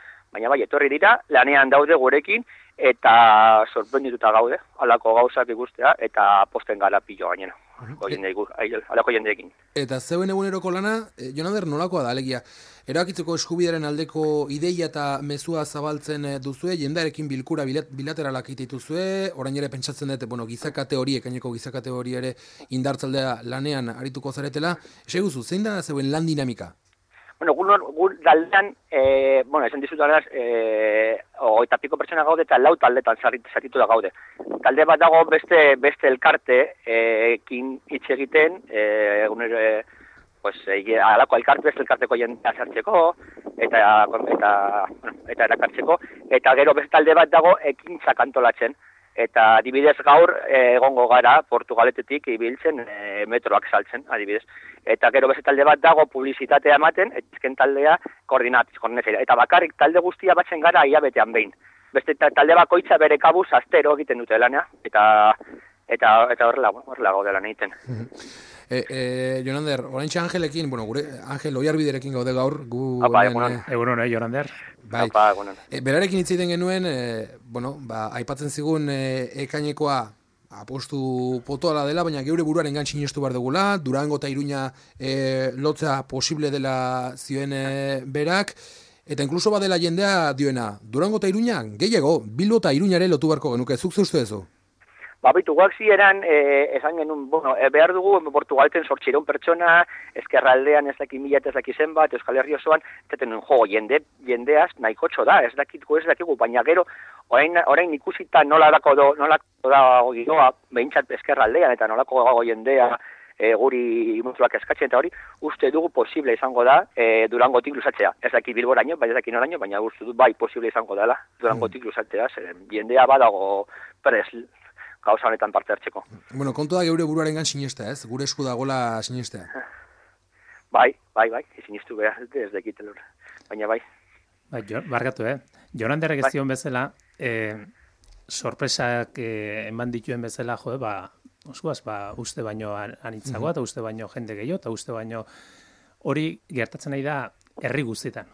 S4: etorri dira, lanean daude gurekin, eta sorprendituta gaude, halako gauzak ikustea, eta posten gara pilo gainera. Alako jendeekin.
S1: Eta zeuen eguneroko lana, Jonander, nolakoa da, alegia, erabakitzeko eskubidearen aldeko ideia eta mezua zabaltzen duzue, jendearekin bilkura bilateralak dituzue, orain ere pentsatzen dute, gizakate hori, ekaineko gizakate hori ere indartzaldea lanean arituko zaretela, eseguzu, zein da zeuen lan dinamika?
S4: Gur daldean, esan dizut daldeaz, 20 piko pertsona gaude eta 4 taldetan zatitu da gaude. Talde bat dago beste elkarte ekin hitz egiten, alako elkarte, beste elkarteko jendea sartzeko, eta erakartzeko, eta gero beste talde bat dago ekintzak antolatzen. Eta adibidez gaur egongo gara Portugaletetik ibiltzen metroak saltzen, adibidez. Eta gero beste talde bat dago publizitatea ematen, ezken taldea koordinatzea. Eta bakarrik talde guztia batzen gara hilabetean behin. Beste talde bakoitza bere kabuz astero egiten dute lana, eta horrela gaude lan egiten.
S1: Jonander, oraintxe Angelekin, gure Angel Oiarbiderekin gaude gaur.
S2: Egunon, Jonander.
S1: Bai. Berarekin hitz egiten genuen, aipatzen zigun ekainekoa apostu potoala dela, baina geure buruaren sinestu behar dugula, Durango eta Iruña lotzea posible dela zioen berak, eta inkluso badela jendea dioena, Durango eta Iruña gehiago, Bilbo eta Iruñare lotu beharko genuke, zuk zeustu ezu?
S4: Guak zieran, esan genuen, behar dugu, Portugalten 800 pertsona, ezkerraldean ez daki 1000 ez daki zenbat, Euskal Herri osoan, zaten nuen, jendeaz nahiko da, ez dakigu, baina gero, orain ikusita nolako da giroa, behintzat ezkerraldean, eta nolako dago jendea, guri multzoak eskatzen eta hori, uste dugu posible izango da Durangotik luzatzea. Ez daki Bilboraino, bai ez daki noraino, baina uste du bai posible izango dela Durangotik luzatzea, jendea badago prez gauza honetan parte hartzeko.
S1: Bueno, kontu da geure buruarengan sinestea, ez? Gure esku dagola sinestea.
S4: Bai, sinistu behar, ez dakit lor. Baina bai.
S2: Barkatu, Joranderrek ez zion bezala, sorpresak eman dituen bezala, uste baino anitzagoa, eta uste baino jende gehiago, eta uste baino hori gertatzen nahi da herri guztietan,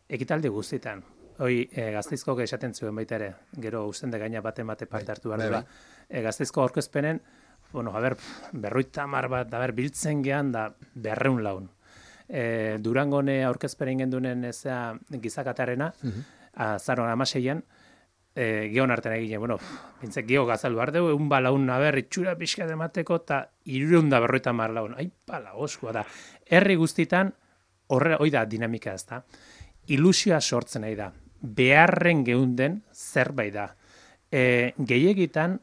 S2: ekitaldi guztietan. Hoi, Gasteizko esaten zuen baita ere, gero usten de gaina bate parte hartu behar dela. Gasteizko aurkezpenen, berroita mar bat, biltzen gehan da 200 laun. Durangone aurkezpenen gendunen gizakatarena, azaron 16an, geon artean egine, bintzek geo gazaldu behar dugu, egun balaun itxura pixka demateko, eta 250 laun. Aipala, oskua da. Herri guztitan, hoi da dinamika ez da. Ilusioa sortzen nahi da. Beharren geunden zerbait da. Gehiegitan,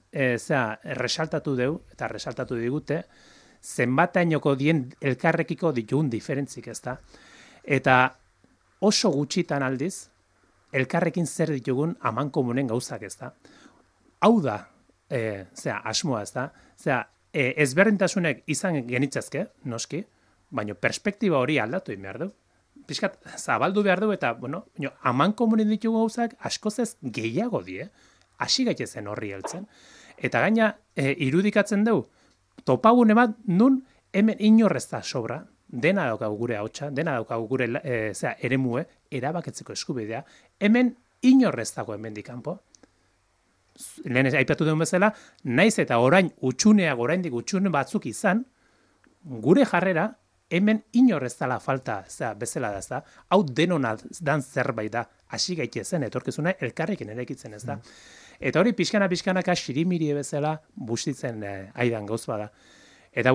S2: resaltatu deu, eta resaltatu digute, zenbatainoko dien elkarrekiko ditugun diferentzik ez da. Eta oso gutxitan aldiz, elkarrekin zer ditugun amankomunen gauzak ez da. Hau da, asmoa ez da. Ezberdintasunek izan genitzazke, noski, baina perspektiba hori aldatu egin behar du. Piskat, zabaldu behar du eta, amankomunen ditugu gauzak askoz ez gehiago die, hasi gaitezen horri heltzen. Eta gaina, irudikatzen dugu, topagune bat nun hemen inorrez da sobra, dena daukagu gure ahotsa, dena daukagu gure eremue, erabaketzeko eskubidea, hemen inorrez dago hemendik kanpo. Lehen aipatu duen bezala, naiz eta oraindik utxune batzuk izan, gure jarrera, hemen inorrez dela falta bezala da, ez da. Hau denona dan zerbait da, hasi gaitezen, etorkizuna elkarrekin eraikitzen ez da. Eta hori pixkanaka xirimiri bezala bustitzen aidan gauz bada. Eta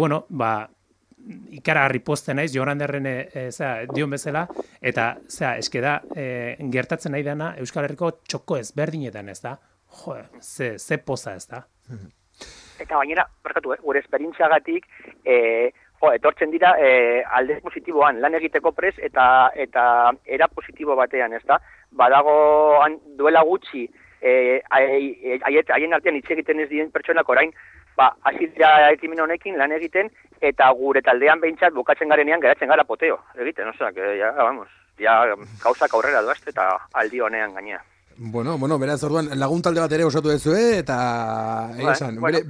S2: ikaragarri posten naiz, Joranderren dion bezala, eta eskeda gertatzen nahi dana Euskal Herriko txoko ezberdinetan ez da. Ze poza ez da.
S4: Eta gainera, barkatu, gure esperientziagatik, etortzen dira alde positiboan, lan egiteko prez eta era positibo batean, ez da? Badago duela gutxi, haien artean hitz egiten ez diren pertsonak orain, hasi dira ekimen honekin lan egiten, eta gure taldean behintzat bukatzen garenean geratzen gara poteo egiten, gauzak aurrera doazte eta aldi honean gainea.
S1: Bueno, beraz orduan lagun talde bat ere osatu duzue, eta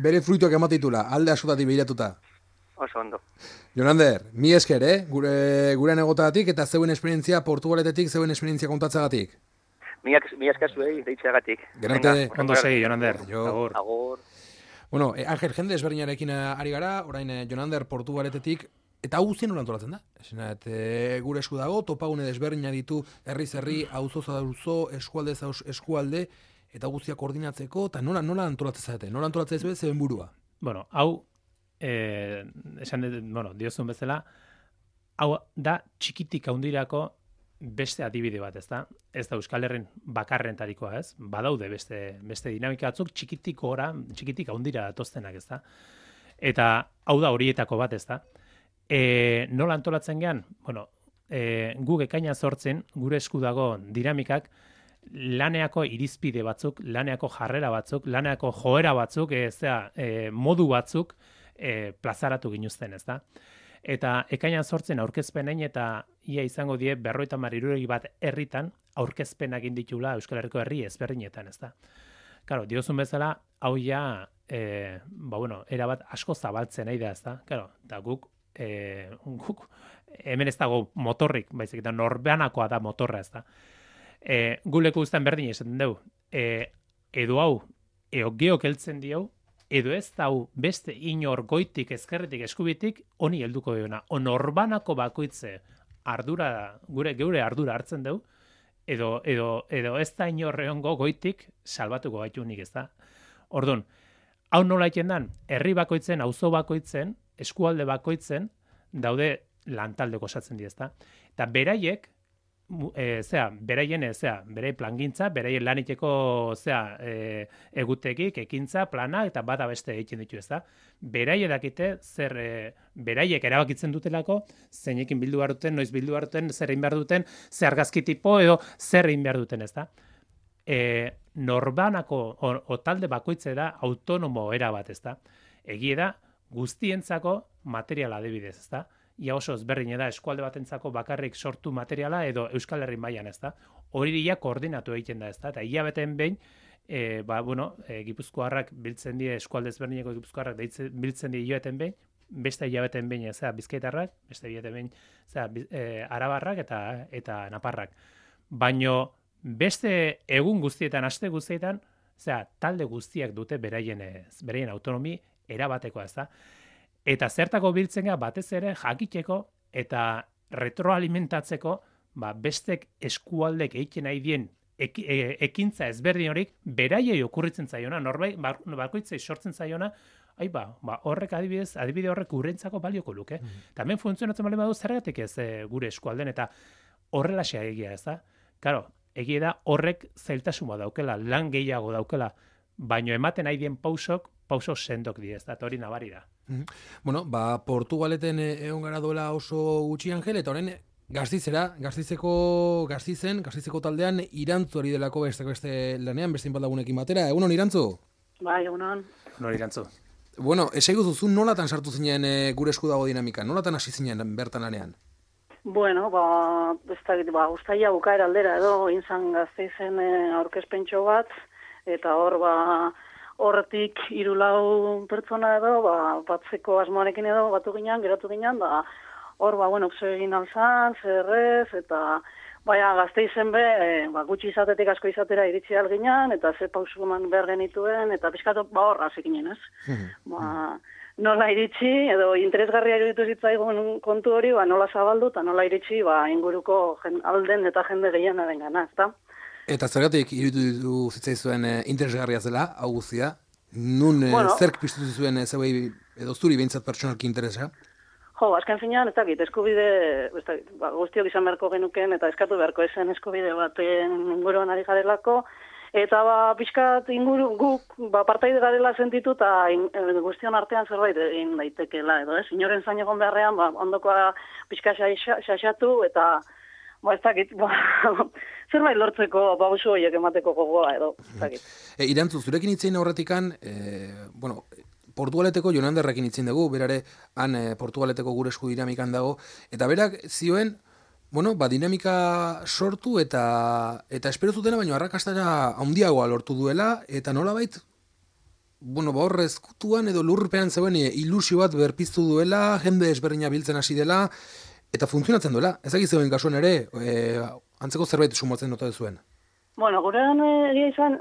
S1: bere fruituak ematitula, alde askotatik behiratuta.
S4: Oso ondo.
S1: Jonander, mi esker, gure negotagatik eta zeuen esperientzia Portugaletetik, zeuen esperientzia kontatzagatik.
S4: Mi esker zuei deitzeagatik.
S1: Gerarte.
S2: Ondo segi, Jonander.
S4: Agur.
S1: Bueno, Angel, jende ezberdinarekin ari gara, orain Jonander Portugaletetik, eta hau guztien nola antolatzen da? Gure esku dago, topagune desberdina ditu herriz herri, auzoz auzo, eskualdez eskualde, eta guztia koordinatzeko, eta nola antolatzen zaite? Nola antolatzen zuen zeben burua?
S2: Hau, diozun bezala, hau da txikitik haundirako beste adibide bat, ez da? Ez da Euskal Herren bakarrentarikoa, ez? Badaude beste dinamika batzuk txikitik haundira datoztenak, ez da? Eta hau da horietako bat, ez da? Nola antolatzen gehan? Guk ekaina sortzen, gure esku dago dinamikak, laneako irizpide batzuk, laneako jarrera batzuk, laneako joera batzuk, modu batzuk plazaratu ginuzten, ez da? Eta ekainan sortzen aurkezpenein eta ia izango die 50 bat herritan aurkezpenak inditula Euskal Herriko herri ezberdinetan, ez da? Claro, diozun bezala, hau ja, erabat asko zabaltzen nahi da, ez da? Claro, eta guk hemen ez dago motorrik, baizik eta norbanakoa da motorra, ez da? Guleko guztan berdin esaten dugu, edo hau, geok heltzen diau, edo ez dau beste inor goitik, ezkerretik, eskubitik, honi helduko diona. Norbanako bakoitze geure ardura hartzen dugu, edo ez da inorreongo goitik salbatuko gaitunik, ez da? Orduan, hau nola iten dan, herri bakoitzen, auzo bakoitzen, eskualde bakoitzen, daude lantaldeko osatzen di, ez da? Eta beraiek, berei plangintza, berei laniteko egutegik, ekintza, plana eta bada beste egiten ditu, ezta? Beraiek dakite beraiek erabakitzen dutelako zeinekin bildu behar duten, noiz bildu behar duten, zer egin behar duten, zer argazki tipo edo zer egin behar duten, ezta? Norbanako o talde bakoitze da autonomo era bat, ezta? Egie da guztientzako materiala adibidez, ezta? Ia oso ezberdin da eskualde batentzako bakarrik sortu materiala edo Euskal Herri mailan, ezta? Hori koordinatu egiten da, ezta? Eta hilabeten behin Gipuzkoarrak biltzen die eskualde ezberdineko Gipuzkoarrak biltzen die hilabeten behin, beste hilabeten behin, Bizkaitarrak, beste hilabeten behin, Arabarrak eta Naparrak. Baino beste egun guztietan, aste guztietan, talde guztiak dute beraien autonomi erabatekoa, ezta? Eta zertako biltzen gara batez ere jakiteko eta retroalimentatzeko bestek eskualdek egiten nahi dien ekintza ezberdin horik beraiei okurritzen zaiona, norbait bakoitzei sortzen zaiona, horrek adibide horrek urrentzako balioko luke. Hemen funtzionatzen bali badu zergatik ez gure eskualden eta horrelaxea egia, ez da? Claro, egia da horrek zailtasun bat daukela, lan gehiago daukela, baino ematen nahi dien pauso sendok di, ez da, hori nabari da.
S1: Bueno, Portugaleten egon gara duela oso gutxi Angel, eta horren Gaztizeko taldean Irantzu ari delako beste lanean, beste inbaldagunekin batera. Egunon, Irantzu?
S5: Bai, egunon.
S2: Egunon, Irantzu.
S1: Bueno, esaigu duzu nolatan sartu zinen gure esku dago dinamika, nolatan hasi zinen bertan lanean?
S5: Bueno, ustaia bukaera aldera edo, inzan Gasteizen aurkezpentxo bat, eta hor, horretik 3-4 pertsona edo, batzeko asmoarekin edo geratu ginen, hor, egin alzan, zerrez, eta Gasteizen gutxi izatetik asko izatera iritsi alginan, eta ze pausu eman behar genituen, eta pixkatu hor hasik ez? Nola iritsi, edo interesgarria iruditu zitzaigun kontu hori, nola zabaldu, eta nola iritsi, inguruko alden eta jende gehienaren gana, ezta?
S1: Eta zergatik iruditu zitzaizuen interesgarria zela, hau guztia? Nun zerk piztu zuen zeuei edo zuri behintzat pertsonalki interesa?
S5: Azken finean, ez dakit, eskubide, guztiok izan beharko genuken, eta eskatu beharko esen eskubide baten inguruan ari garelako, eta pixkat guk partaide garela sentitu, eta guztion artean zerbait egin daitekela, edo, inoren zain egon beharrean, ondokoa pixka xaxatu, eta ez dakit, zerbait lortzeko pausu horiek emateko gogoa, edo, ez dakit.
S1: Irantzu, zurekin itzein aurretikan, Portugaleteko Jonanderrekin itzin dugu, berare han Portugaleteko gure esku dinamikan dago, eta berak zioen, dinamika sortu eta espero zutena, baina arrakastara handiagoa lortu duela, eta nolabait, horre ezkutuan edo lurpean zeuen ilusio bat berpiztu duela, jende ezberdina biltzen hasi dela, eta funtzionatzen duela. Ezagik zeuen kasuan ere, antzeko zerbait sumotzen nota duzuen.
S5: Gurean izan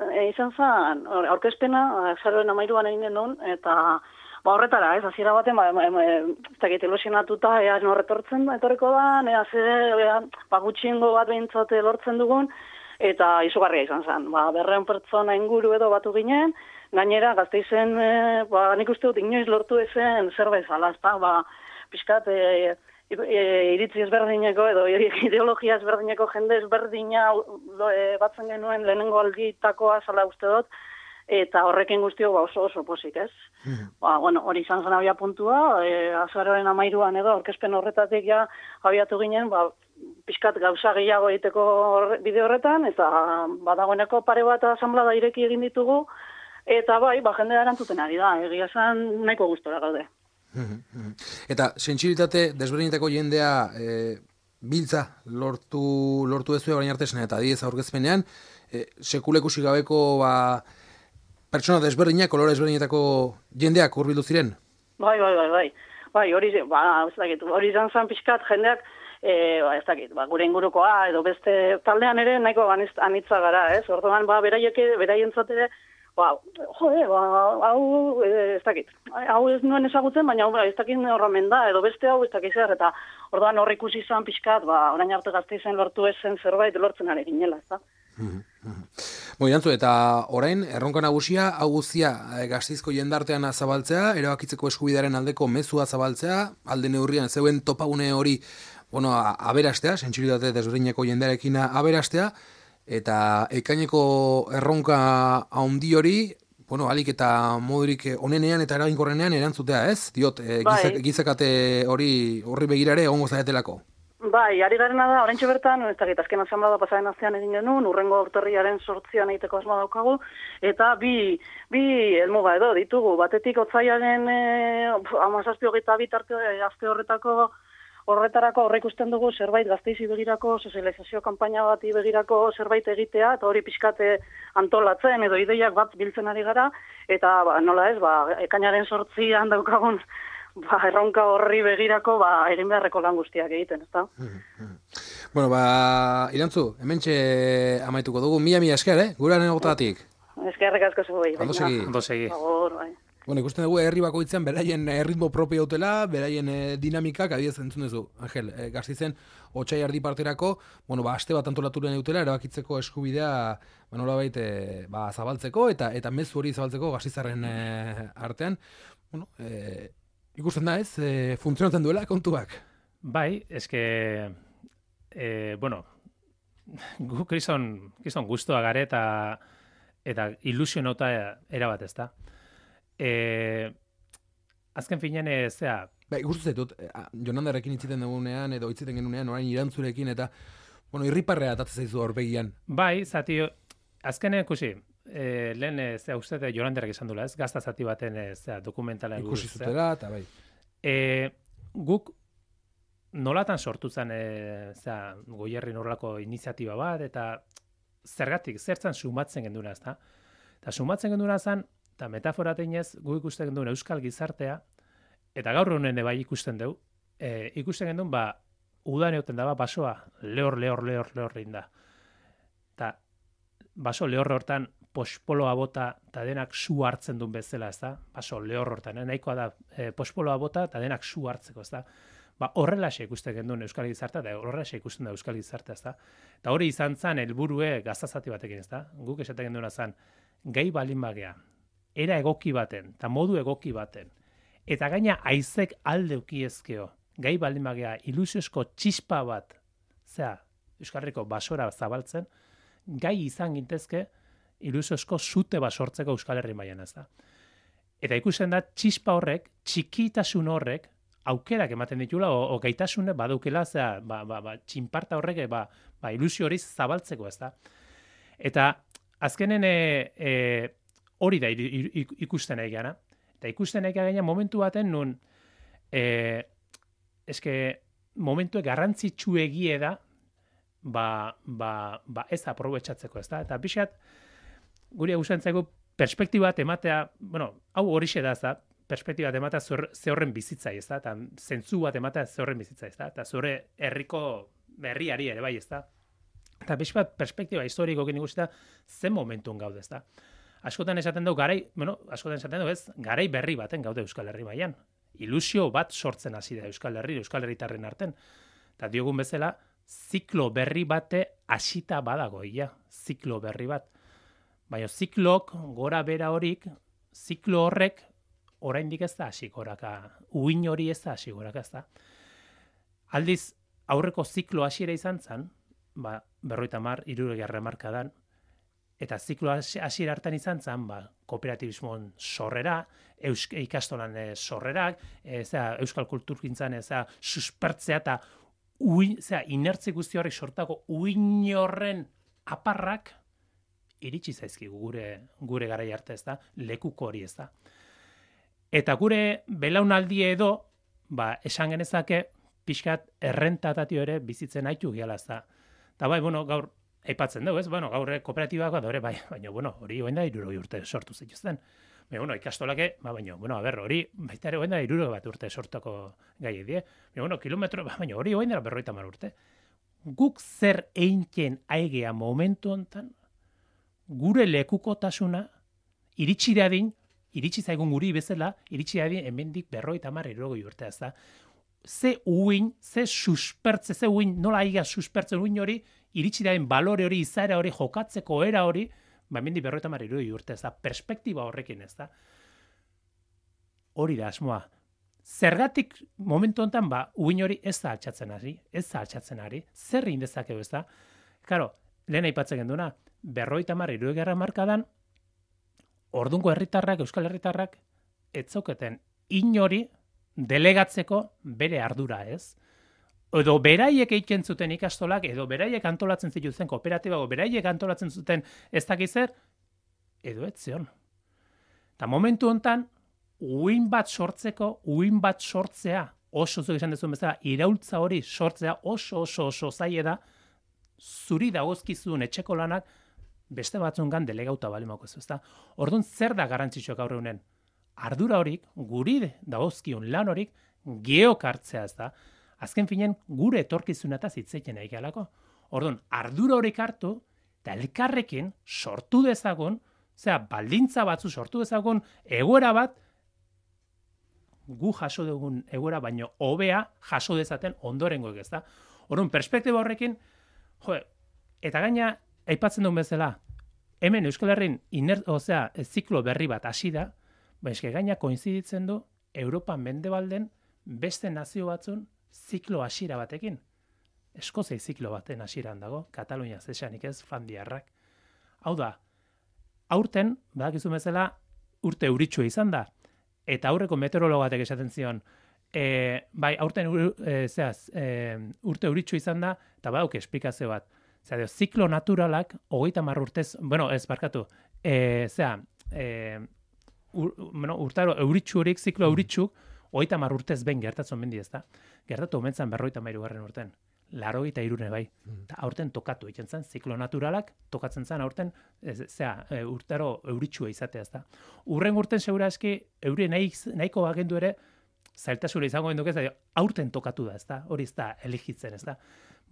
S5: zen, aurkezpena, azaroen 13an egin genuen, eta horretara, hasiera baten, ez dakit ilusionatuta, ea norretortzen etorriko da, ea gutxiengo bat behintzate lortzen dugun, eta izugarria izan zen. 200 pertsona inguru edo batu ginen, gainera Gasteizen, nik uste dut inoiz lortu ezen zerbait zala, pixkat, iritzi ezberdineko edo ideologia ezberdineko jende ezberdina batzen genuen lehenengo alditakoa zala uste dut, eta horrekin guztio oso posik, ez? Hori izan zen abia puntua, azaroren 13an edo, aurkezpen horretatik abiatu ginen, pixkat gauza gehiago egiteko bide horretan, eta badagoeneko pare bat asanblada ireki egin ditugu, eta jendea erantzuten ari da, egia zen nahiko gustora gaude.
S1: Eta sentsibilitate desberdinetako jendea biltza lortu ezue orain arte eta adiez aurkezpenean, sekulekusi gabeko pertsona desberdinak, kolore desberdinetako jendeak hurbildu ziren?
S5: Bai, hori izan zen pixkat jendeak, ez dakit, gure ingurukoa edo beste taldean ere nahiko anitza gara, ez? Orduan, beraientzat ere, ez dakit, hau ez nuen ezagutzen, baina ez dakit horramen da, edo beste hau ez dakit zer, eta orduan hor ikusi izan pixkat, orain arte Gasteizen lortu ezen zerbait lortzen ari ginela, ez da?
S1: Irantzu, eta orain, erronka nagusia, hau guztia Gasteizko jendartean zabaltzea, erabakitzeko eskubidearen aldeko mezua zabaltzea, alde neurrian zeuen topagune hori aberastea, sentsibilitate desberdineko jendearekin aberastea, eta ekaineko erronka handi hori, alik eta modurik onenean eta eraginkorrenean erantzutea, ez? Diot, gizakate horri begirare egongo zaretelako.
S5: Bai, ari garena da, oraintxe bertan, ez dakit, azken asamblea pasaren astean egin genuen, urrengo urtarriaren 8an egiteko asmoa daukagu, eta bi helmuga edo ditugu, batetik otzaiaren 17-22 tarte aste horretarako aurreikusten dugu zerbait gazteizi begirako, sozializazio kanpaina bati begirako zerbait egitea, eta hori pixkate antolatzen edo ideiak bat biltzen ari gara, eta nola ez, ekainaren 8an daukagun, erronka horri begirako, egin beharreko lan guztiak egiten, ezta?
S1: Bueno, Irantzu, hementxe amaituko dugu, mila esker, guraren egotatik.
S5: Eskerrik asko zuei.
S1: Ondo segi. Bueno, ikusten dugu herri bakoitzean beraien ritmo propio dutela, beraien dinamikak, adibidez entzun duzu, Angel, Gasteizen otsai erdi parterako, aste bat antolaturen dutela, erabakitzeko eskubidea, nolabait, zabaltzeko, eta mezu hori zabaltzeko Gasteizarren artean. Bueno, ikusten da ez, funtzionatzen duela kontuak.
S2: Bai, eske, gu krison guztua gare eta ilusionota erabat ez da. Azken finean,
S1: ikusten zaitut, Jonandarrekin hitziten dugunean, edo hitziten genunean, orain Irantzurekin, eta, irriparrea atatzen zaizu horbegian.
S2: Bai, zati, azken ikusi, lehen, uste Jonandarrek esan dula, ez? Gazta zati baten, dokumentala.
S1: Ikusi zutela, eta bai.
S2: Guk nolatan sortu zen, Goierrin horrelako iniziatiba bat, eta zertzan sumatzen genduna, ez da? Eta sumatzen genduna zen, eta metafora teinez, gu ikusten genduen euskal gizartea, eta gaur honen bai ikusten dugu, ikusten genduen, udan egoten da, basoa, lehor da. Eta baso lehor hortan, pospoloa bota, eta denak su hartzen duen bezala, ez da? Baso lehor hortan, nahikoa da, pospoloa bota, eta denak su hartzeko, ez da? Horrelaxe ikusten genduen euskal gizartea, eta horrelaxe ikusten da euskal gizartea, ez da? Eta hori izan zen, helburue gaztazati batekin, ez da? Guk esaten genduna zen, gai balin bagea, era egoki baten, eta modu egoki baten, eta gaina aizek aldeuki ezkeo, gai baldin bagea ilusiozko txispa bat, Euskal Herriko basora zabaltzen, gai izan gintezke ilusiozko zute bat sortzeko Euskal Herri mailan, ez da. Eta ikusten da, txispa horrek, txikitasun horrek, aukerak ematen ditula, o gaitasune badaukela, txinparta horrek, ilusio hori zabaltzeko, ez da. Eta azkenen hori da ikusten nahi gara. Eta ikusten nahi gara momentu baten nun momentu garrantzitsu egie da ez aprobetxatzeko, ez da? Eta pixat, guri gustantzaigu perspektiba bat ematea, hau horixe da, ez da? Perspektiba bat ematea ze horren bizitzai, ez da? Eta zentzu bat ematea ze horren bizitzai, ez da? Eta zure herriko berriari ere bai, ez da? Eta pixat perspektiba historiko gini guztia zen momentun gaude, ez da? Askotan esaten dugu garai berri baten gaude Euskal Herri mailan. Ilusio bat sortzen hasi da Euskal Herritarren arten. Eta diogun bezala, ziklo berri bate hasita badago, ziklo berri bat. Baina ziklok, gora bera horik, ziklo horrek, oraindik ez da hasi goraka. Uin hori ez da hasi goraka, ez da. Aldiz, aurreko ziklo hasiera izan zen, 50-60 hamarkadan, eta ziklo hasiera hartan izan zen, kooperatibismoan sorrera, ikastolan sorrerak, euskal kulturgintzan suspertzea eta inertzi guzti horrek sortako uin horren aparrak iritsi zaizkigu gure garai arte, ez da, lekuko hori, ez da. Eta gure belaunaldi edo, esan genezake, pixkat errentatatio ere bizitzen haitu giala, ez da. Eta gaur, aipatzen dugu, ez? Gaur kooperatibak badore, baina, hori hoen da 60 urte sortu zituzten. Ikastolake, hori baita ere hoen da 60 urte sortuko gai edie. Kilometro, baina hori hoen da 50 urte. Guk zer einken aigea momentu hontan, gure lekukotasuna, iritsi zaigun guri bezala, iritsi dadin hemendik 50-60 urte, ez da. Ze uin, ze suspertze, ze uin, nola aiga suspertzen uin hori, iritsi daen balore hori, izaera hori, jokatzeko era hori, hemendik 50-60 urte, ez da, perspektiba horrekin, ez da. Hori da asmoa. Zergatik momentu honetan, uin hori ez da altxatzen ari, zer egin dezakegu ez da? Karo, lehen aipatzen genduna, 50-60 markadan, ordungo herritarrak, euskal herritarrak, ez zauketen inori delegatzeko bere ardura ez. Edo beraiek egiten zuten ikastolak, edo beraiek antolatzen zituzten kooperatiba, edo beraiek antolatzen zuten ez dakizer, edo ez zion. Eta momentu honetan, uin bat sortzea, oso zuek esan dezuen bezala, iraultza hori sortzea oso zaila da, zuri dagozkizun etxeko lanak beste batzungan delegauta balimako ez da. Orduan zer da garrantzitsuak gaur egunen? Ardura horik, guri dagozkion lan horik, geok hartzea ez da. Azken finen, gure etorkizunataz hitzeiten nahi galako. Orduan, ardura horik hartu, eta elkarrekin sortu dezagun, baldintza batzu sortu dezagun, egoera bat, gu jaso dugun egoera baino hobea jaso dezaten ondorengoek ez da. Orduan, perspektiba horrekin, eta gaina, aipatzen duen bezala, hemen Euskal Herrin ziklo berri bat hasi da, eske gaina koinziditzen du Europa mendebalden beste nazio batzun ziklo hasiera batekin. Eskozia ziklo baten hasieran dago, Katalunia zesanik ez, Flandiarrak. Hau da, aurten, badakizu bezala, urte euritsua izan da, eta aurreko meteorologatek esaten zion, aurten urte euritsua izan da, eta badauk esplikazio bat. Ziklo naturalak, 30 urtez, urtaro euritsu horik, ziklo euritsuk, 30 urtez behin gertatzen mendi ez da. Gertatu omentzan 53. urten. 83 bai. Eta aurten tokatu egiten zen, ziklo naturalak tokatzen zen aurten, urtaro euritsua izatea ez da. Urren urten segura eski, euri nahiko bagendu ere, zailtasura izango genduke, aurten tokatu da ez da, hori ez da eligitzen ez da.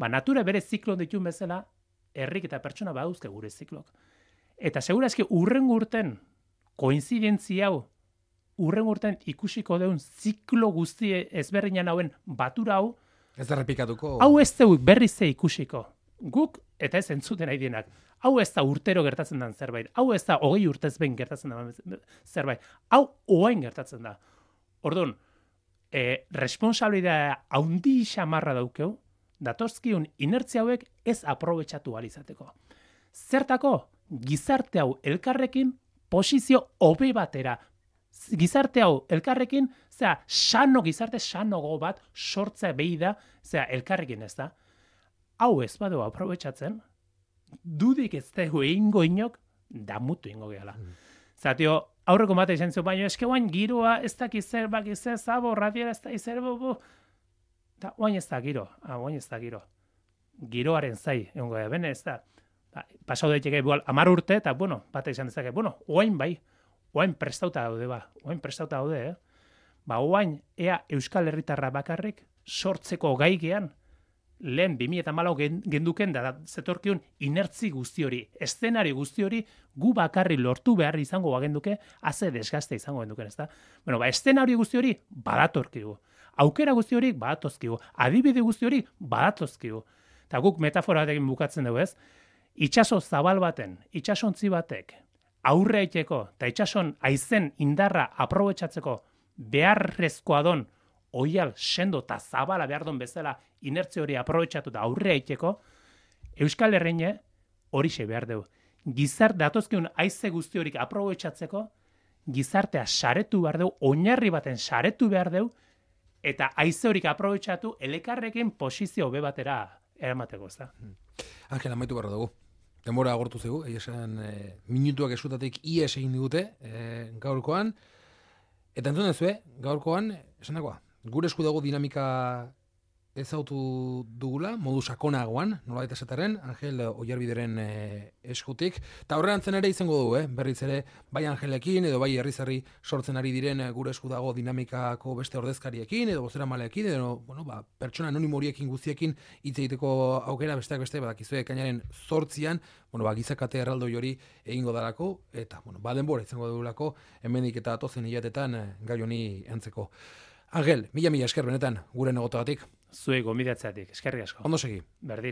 S2: Natura bere ziklon ditun bezala, herrik eta pertsona badauzke gure ziklok. Eta segura eski urren urten, koinzidentzia hau, urren urten ikusiko deun ziklo guzti ezberdinan hauen batura hau,
S1: ez da repikatuko.
S2: Hau ez zeuk berriz ze ikusiko. Guk eta ez entzuten nahi dienak. Hau ez da urtero gertatzen den zerbait. Hau ez da 20 urtez behin gertatzen den zerbait. Hau oain gertatzen da. Orduan, responsabilitatea haundi xamarra daukeu, datozkiun inertzia hauek ez aprobetxatu alizateko. Zertako, gizarte hau elkarrekin posizio hobe batera. Gizarte hau elkarrekin, gizarte sanogo bat sortzea behi da, elkarrekin ez da. Hau ez badu aprobetxatzen, dudik ez dugu egingo inok, damutu ingo gehala. Zatio, aurreko mate izan zuen, baina eske guain giroa ez dakiz zer, zabo, radiera ez da izer, eta guain ez da giro, Giroaren zai, egongo da, bene ez da. Pasau daiteke, 10 urte, eta, bate izan dezake, guain bai, guain prestauta daude, Guain, ea Euskal Herritarra bakarrik sortzeko gaigean, lehen 2014 genduken da zetorkion inertzi guzti hori, eszenari guzti hori, gu bakarri lortu behar izango bagenduke, haze desgaste izango genduken, ez da? Eszenari guzti hori badatorkigu. Aukera guzti hori badatozkigu. Adibide guzti hori badatozkigu. Eta guk metafora batekin bukatzen dugu, ez? Itxaso zabal baten, itxasontzi batek, aurre aiteko, eta itxason aizen indarra aprobetxatzeko beharrezkoa don, oial sendo eta zabala behar don bezala inertzi hori aprobetxatu eta aurre aiteko, Euskal Herrine horixe behar dugu. Datozkiun aize guzti horik aprobetxatzeko, gizartea saretu behar dugu, oinarri baten saretu behar dugu, eta aize horik aprobetxatu elekarrekin posizio hobe batera eramateko, ez da?
S1: Angel, amaitu barra dugu. Denbora agortu zegu, esan minutuak esutatik ies egin digute gaurkoan. Eta entzun dezue, gaurkoan, esan dagoa, gure esku dago dinamika ezautu dugula, modu sakonagoan, nola eta esaterren, Angel Oiarbideren eskutik. Eta horreantzen ere izango dugu, berriz ere, bai Angelekin, edo bai herri sortzen ari diren gure esku dago dinamikako beste ordezkariekin, edo bozera maleekin, edo pertsona anonimo horiekin guztiekin hitz egiteko aukera besteak beste, badakizue ekainaren 8an, gizakate erraldoi hori egingo darako, eta denbora izango dugulako, hemendik eta atozen hilatetan gai honi antzeko. Angel, mila esker benetan, gure negotagatik.
S2: Zuei gomidatzeatik, eskerrik asko.
S1: Ondo segi.
S2: Berdin.